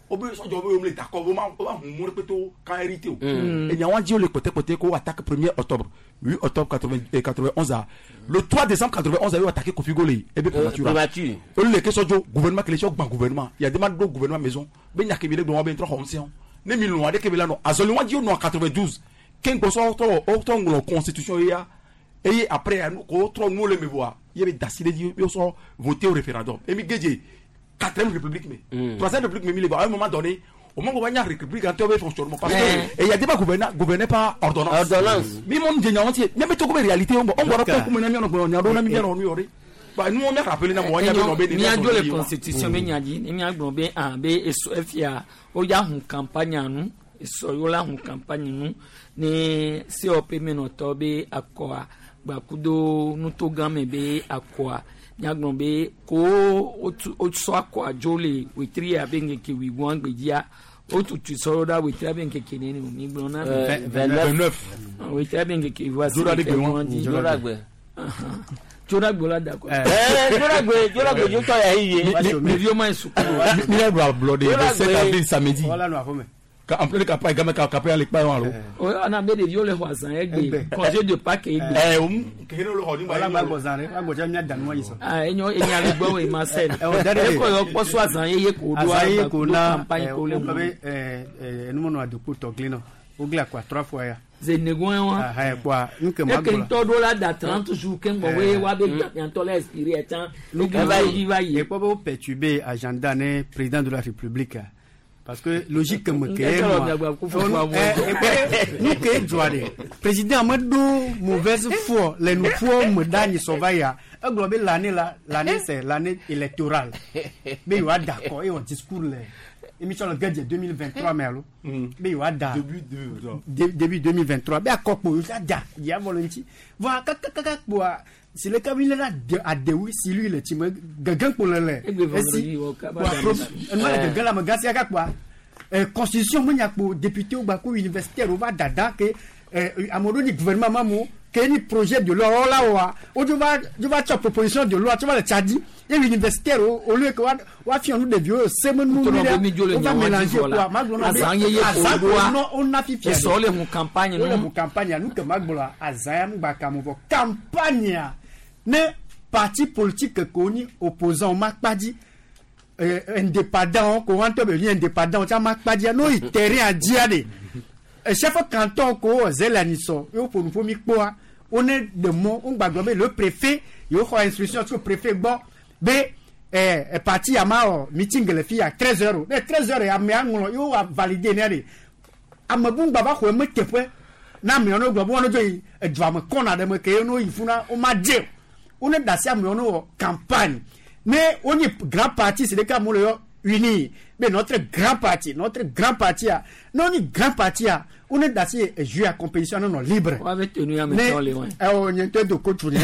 Speaker 3: Obe sɔjɔ bɛ wele d'accord o ma hun mori peto kan hérité o. Et ɲawan di o le côté côté ko attaque 1er octobre 8 octobre 91 a le 3 décembre 91 a eu attaqué Kofi Gole et be primature. O le ke sɔjɔ gouvernement kele sɔ gban gouvernement il y a demande do gouvernement maison be ɲa kebe le gbɔn be trɔ xɔn ne mi lɔn ade kebe la nɔ azɔli wa di o nɔ 92 kenkpɔ sɔ tɔ o tɔ ŋlɔ constitution ye ya et après ko trɔ nu le me voa ye be dasi de di yo sɔ voter au référendum et mi geje 4e république, mais 3e république, mais à un moment donné, au moment où il y a une république, en fonctionnement. Parce que il y a des gens qui gouvernaient par ordonnance.
Speaker 2: Ordonnance.
Speaker 3: Mais mon Dieu, mais tout comme réalité, on va pas comme on a mis, on a mis, on a mis. Ba nu mi rappeler na mo nya be no be
Speaker 1: miadzo le constitution be nya dzi ne miagblɔ be ah be esɔ efia woya hun campagne nu esɔ yewo la hun campagne nu ne COP menɔtɔ be akɔa gbakudo nutogãme be akɔa miagblɔ be ko wotu wotsɔ akɔa dzo le wetri abe ŋkeke wuigbɔa gbedzia wotutu sɔ ɖa wetri abe ŋkeke nene o migblɔ na mi.
Speaker 2: 29.
Speaker 1: Wetri abe ŋkeke voici
Speaker 3: Dzora ɖe gbe wɔn.
Speaker 2: Dzora gbe.
Speaker 1: Dzora gbe la da kɔ.
Speaker 2: Dzora gbe dzora gbe dzo tɔ ya yi ye.
Speaker 1: Mi viwo ma yi sukulu.
Speaker 3: Mi la do ablɔɖe le 7 avril samedi.
Speaker 15: Wala nɔ aƒeme.
Speaker 3: En pleine campagne game ka campagne le kpa alo.
Speaker 1: O ana be ɖeviwo le xɔ azã egbe congé de Pâques egbe.
Speaker 3: Eh o keke ne le xɔ ni
Speaker 15: Wala gba gbɔ zã ɖe, wala gbɔ dza mía da nua yi sɔ.
Speaker 1: Ah enyo enya le gbɔ wo Marcel.
Speaker 15: Ɛ o da ɖe.
Speaker 1: Ekɔ yɔ kpɔ so azã yeye ko do
Speaker 15: Azã ye ko na
Speaker 1: campagne ko le
Speaker 15: wogblɔ
Speaker 1: mu.
Speaker 15: be enumɔnɔ adokpo tɔgli nɔ wogli akɔa trois fois ya.
Speaker 1: Zenegoe wa.
Speaker 15: Aha kpoa nu ke ma
Speaker 1: Eke
Speaker 15: gblɔ.
Speaker 1: ŋutɔ ɖo la da 30 jours ke ŋgbɔ we wa be gbàgbàntɔ la expiré ɛtsã.
Speaker 15: Nu ke
Speaker 1: Eva yi va yi.
Speaker 15: Ekpɔ be wo perturber agenda ne président de la république a. Parce que logique me ke
Speaker 1: Ŋkeke
Speaker 15: moi.
Speaker 1: lɔ miagba ku fufu amu.
Speaker 15: Nu ke dzɔa ɖe président me ɖo mauvaise foi le nuƒoa me ɖe anyi sɔ va yia egblɔ be l'année la l'année c'est l'année électorale be yewoa da akɔ eye wɔ discours le émission le gɛdze 2023 me alo be yewoa da début 2023 be akɔkpo yewoa da yia vɔ le ŋuti vɔa kakakaka kpoa si le kabi le la adewu si lui le tsi me gege kpo le le
Speaker 1: Egbe vendredi wɔ kaba
Speaker 15: kpoa
Speaker 1: da
Speaker 15: pro
Speaker 1: mi.
Speaker 15: enua le gege le ame gã sia ka kpoa constitution me nya kpo député wo gba ko universitaire wo va dada ke ame ɖewo ni gouvernement ma mo ke ni projet de loi wo la wɔa wo dzo va dzo va tsɔ proposition de loi tsɔ va le tsa di ye universitaire wo au lieu que wa wa fia nu ɖeviwo se me nu
Speaker 1: Tɔnɔ
Speaker 15: mi
Speaker 1: be mi dzo le
Speaker 15: ɖe wo va
Speaker 1: nyawo dzi
Speaker 15: mélanger
Speaker 1: vɔ la.
Speaker 15: kpoa ma gblɔ na be
Speaker 1: Azã yeye ko
Speaker 15: azã ko
Speaker 1: ɖoa.
Speaker 15: nɔ wo na fifia
Speaker 1: Esɔ le hu campagne
Speaker 15: wole
Speaker 1: nu.
Speaker 15: hu campagne nu ke ma gblɔ azã ya ŋgba ka mo vɔ campagne ne parti politique ko ni opposant ma kpa dzi indépendant ko wọn tɔ bɛ ni indépendant caman kpa n'o ye terrain a diya de chef canton ko zɛlɛ anisɔ y'o ƒonuƒo mi kpɔa wo ne de mɔ wo gbàgbọ́ be le préfet yóò xɔ instruction tso préfet gbɔ be parti ya ma wɔ meeting le fi ya 13 heures ne 13 heures amea ŋlɔ yóò wa valider ne de ame bu ŋgba va xɔ eme teƒe na amewo ne gblɔ be wɔn dzo yi edua me kɔna ɖe me ke ye no yi funa wo ma dze o wo ne da si amewo ne wɔ campagne ne wo nyi grand parti si ɖeka amewo le yɔ uni be notre grand parti notre grand parti a ne wo nyi grand parti a wo ne da si ejeu a compétition ne nɔ libre.
Speaker 1: Wa be tenu ya me tɔ le wa.
Speaker 15: Ɛ o nye ŋutɔ do coach ne.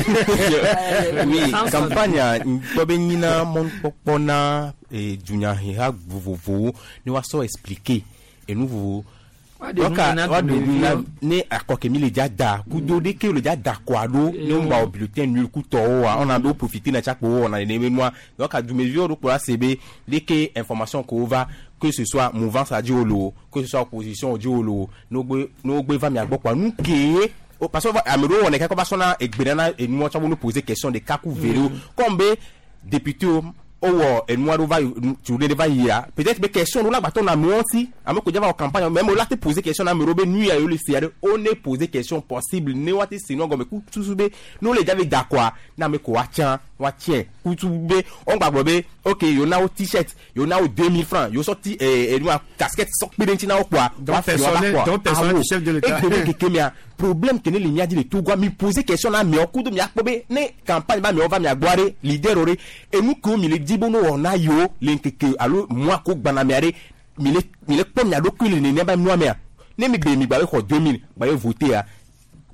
Speaker 26: Oui, campagne ŋkpɔ be nyina mɔnukpɔkpɔ na dunyaheha vovovowo ne woasɔ expliquer enu vovovo.
Speaker 1: Wa de nu na
Speaker 26: wa de nu na
Speaker 1: dumeviwo.
Speaker 26: ne akɔ ke mi le dza da kudo ɖeke le dza da kɔa ɖo ne wo gba wɔ bulletin nul kutɔwo wa ɔna ɖo profiter na tsakpo wo wɔna nene be nua donc dumeviwo ɖo kplɔ la se be ɖeke information ko va que ce soit mouvance a dzi wo lo que ce soit opposition dzi wo lo ne wo gbe ne wo gbe va mia gbɔ kɔa nu kee o parce que ame ɖewo wɔnɛ kaka va sɔna egbe nana enua tsɔ wo no poser question ɖeka ku ve ɖewo comme be député wo wowɔ enua ɖewo va yi tu ɖe va yia peut-être be question ɖewo la gbatɔ na amewo si ame ko dza va wɔ campagne même wo la te poser question na ame ɖewo be nu ya yewo le sia ɖe wo ne poser question possible ne woate se nua gɔme ku susu be ne wo le dza be da kɔa ne ame ko woatsã woatsiẽ kutu be wo gba gblɔ be ok yewo na wo t-shirt yewo na wo 2000 francs yewo sɔ ti enua casquette sɔ kpe ɖe ŋuti na wo kɔa
Speaker 15: Donc
Speaker 26: woafi woava
Speaker 15: personnel-
Speaker 26: kɔa
Speaker 15: donc personnel
Speaker 26: awo
Speaker 15: du chef de l'État.
Speaker 26: egbe be keke mea problème ke ne le mia dzi le Togoa mi poser question na amewo kudo miakpɔ be ne campagne ba amewo va mia gbɔa ɖe leader wo ɖe enu kewo mi le di be ne wɔna yewo le ŋkeke alo mois ko gbana mea ɖe mi le mi le kpɔ mia ɖokui le nenema nua mea ne mi gbe mi gba be xɔ 2000 gba be voter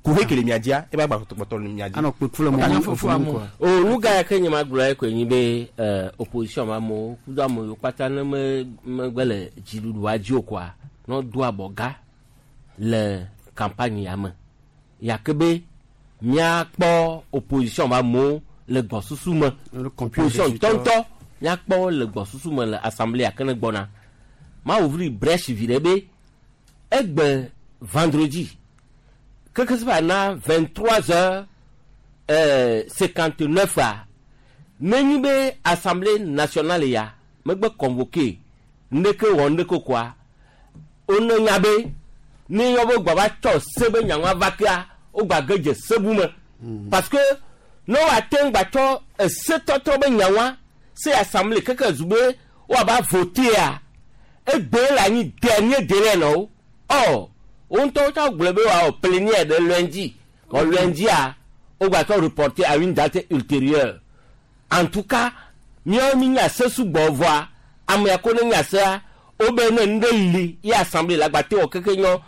Speaker 26: kuhe ke le mia dzia ebe agba kpɔtɔ le mia dzi.
Speaker 15: Anɔ kpekpe le mɔ
Speaker 1: fufu amu.
Speaker 2: O nu ga ya ke nye ma gblɔ ye koe nyi be opposition ma amewo kudo ame yiwo kpata ne me megbe le dziɖuɖua dzi o koa ne wodo abɔga le campagne ya me yake be míakpɔ opposition ma amewo le gbɔsusu me opposition ŋutɔŋutɔ míakpɔ wo le gbɔsusu me le assemblée ya ke ne gbɔna ma ouvrir brèche vi ɖe be egbe vendredi keke se va na 23 heures 59 a nenyi be assemblée nationale ya megbe convoqué ndeke wɔ ndeke koa wone nya be ne yɔ be gba va tsɔ se be nyaŋua va kea wogba ge dze sebu me parce que ne woate ŋu gba tsɔ esetɔtrɔ be nyaŋua se assemblée keke zu be woava votea egbe le anyi dernier délai na wo ɔ wo ŋutɔ wotsɔ gblɔ be woawɔ plénière ɖe lundi vɔ lundia wogba tsɔ reporter à une date ultérieure En tout cas, míawo mi nya se sugbɔ vɔa, ame ya ko ne nya sea, wobe ne nu ɖe li ye assemblée la gba te wɔ keke nyɔ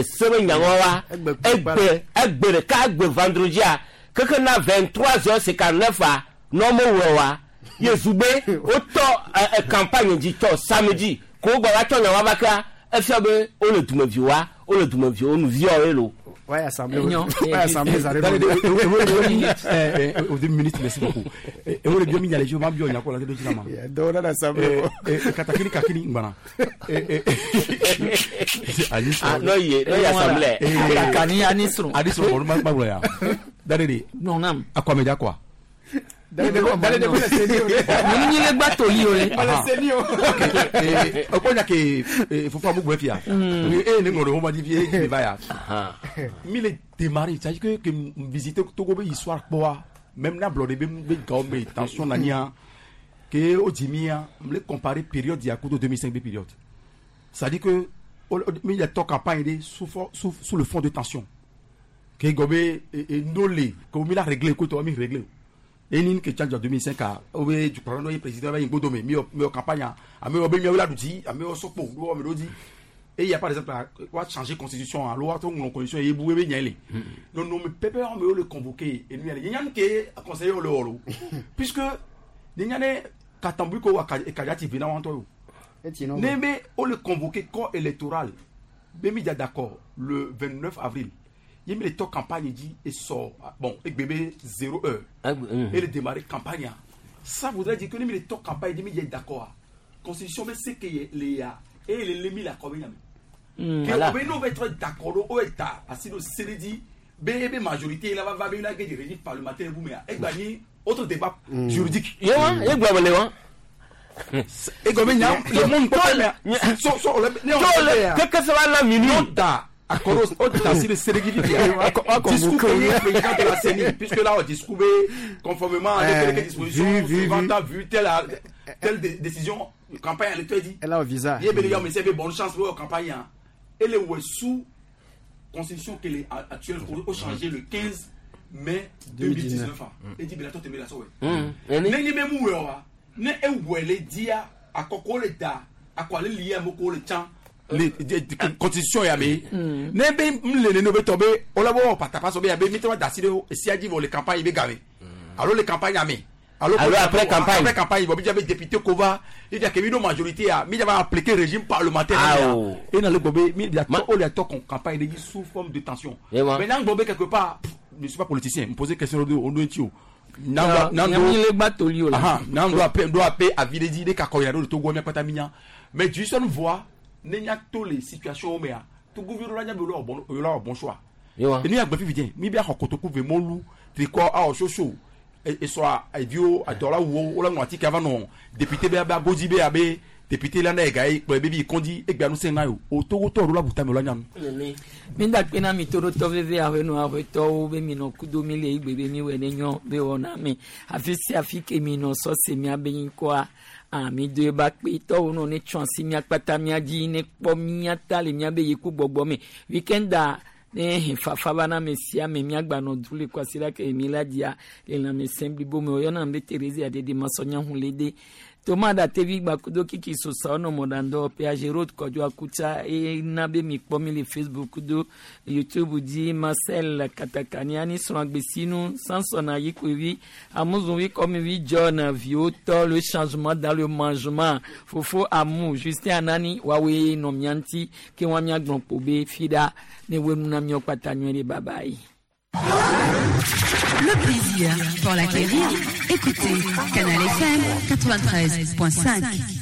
Speaker 2: se be nyaŋɔ wa egbe egbe ɖeka egbe vendredia keke na 23h59 a nɔ mewɔ wa ye zugbe wotɔ campagne dzi tɔ samedi ko wogbɔ va tsɔ nya wa va kea efia be wole dumevi wa wole dumevi wo nuviawo ye lo.
Speaker 15: Ouais, assemblée. Ouais, assemblée, ça
Speaker 3: arrive. Deux minutes, merci beaucoup. Et on est bien mis à l'échelle, on va bien, il y a quoi là, c'est
Speaker 15: Donc, on a l'assemblée.
Speaker 3: Katakini, kakini, ngwana.
Speaker 2: Ah, non, il y a assemblée.
Speaker 1: Kakani, anisro.
Speaker 3: Anisro, on va pas voir. Dadede.
Speaker 1: Non, non.
Speaker 3: Akwameja quoi.
Speaker 1: Munu le gba toli o le.
Speaker 3: O ko nya ke fufu amu gbefia. E ne ngoro ma di vie di va ya. Mi le démarrer, c'est que visiter Togo be histoire quoi. Même na blodé be be ga me tension na nia. Que o dimia, me le comparer période ya kudo 2005 be période. C'est-à-dire que mi le to campagne sous sous le fond de tension. Que gobe et nolé, que mi la régler ko to mi régler. Et ni que change en 2005 a obe du président président va ingodo me mi campagne a mi obe mi la duti a mi sopo do me do et il y a par exemple quoi changer constitution loi to ngon constitution et boué be nyele non non mais pépé on me le convoquer et nous il y a que conseiller le horo puisque nyane katambu ko akajati vina wanto yo ne me on le convoquer corps électoral be mi d'accord le 29 avril. Il met les temps campagne dit et sort. Bon, et bébé 0 heure. Et le démarrer campagne. Ça voudrait dire que les temps campagne dit il est d'accord. Constitution mais c'est que les et les mis la commune. Que nous va être d'accord au état parce que le dit bébé majorité là va va une guerre de régime parlementaire vous mais et gagner autre débat juridique.
Speaker 2: Yewa, et gwa wa.
Speaker 3: Et comme le monde peut so so
Speaker 2: le que ça va la minute.
Speaker 3: Discours président de la CENI, puisque là on discours conformément à quelques dispositions, vu telle décision, campagne, elle te dit.
Speaker 15: Elle a un visa.
Speaker 3: Il y a mais bonne chance pour la campagne. Et les sous constitution qu'elle est actuelle pour changer le 15 mai 2019. Et dit, mais la toi, tu la Ne même où ne e dia à koko le da à quoi le lié à moko le temps. Les constitution ya me ne be mlele no be tobe olabo patapa so be ya be mi to daside si adi vo les campagnes be gavé alors les campagnes ya me alors
Speaker 2: après campagne
Speaker 3: après campagne bo bi député kova il y a que mi no majorité ya mi va appliquer régime parlementaire et dans le bobe mi ya to o ya to campagne de sous forme de tension maintenant bobe quelque part je ne suis pas politicien me poser question de on doit tio nando doit pe avidedi de kakoya do to go mi pata minya mais du seul voix n'enya to les situations mais to gouvernement nya be lo bon bon choix et nous ya gbe fifi mi bi akotoku ve molu triko a oshoso et soit idio adola wo o la ngwati ka va non député be ba godi be abe député la na e ga e be bi kondi e gba nu se na yo o to to ro la buta me lo nya nu
Speaker 1: mi da pe na mi toro to veve awe no awe to wo be mi no kudo mi le igbe be mi we ne nyo be wona mi afi si afi ke mi no so se mi abeyin ko a ami do ba pe to no ne chance mi akpata mi agi ne po mi ata le mi abe yiku gbogbo mi weekend da ne fafa ba na me sia me mi agba no dule kwasira ke mi la dia le na me sembli bo me oyo na me Teresa adede masonya hunlede Thomas da tevi gbakudo kiki sosa ono modando PAG Road Kojo Akuta e nabe mi kpɔ mi le Facebook do YouTube di Marcel Katakani ani srɔ̃agbesinu Samson Ayikwevi Amuzunvi Kɔmivi John Viotɔ le changement dans le mangement Fofo Amu Justin Anani wawe nɔ mia ŋuti ke wa miagblɔ kpo be fi ɖa ne wo nu na miawo kpata nyuie ɖe bye bye.
Speaker 4: Le plaisir pour l'acquérir, écoutez Canal FM 93.5.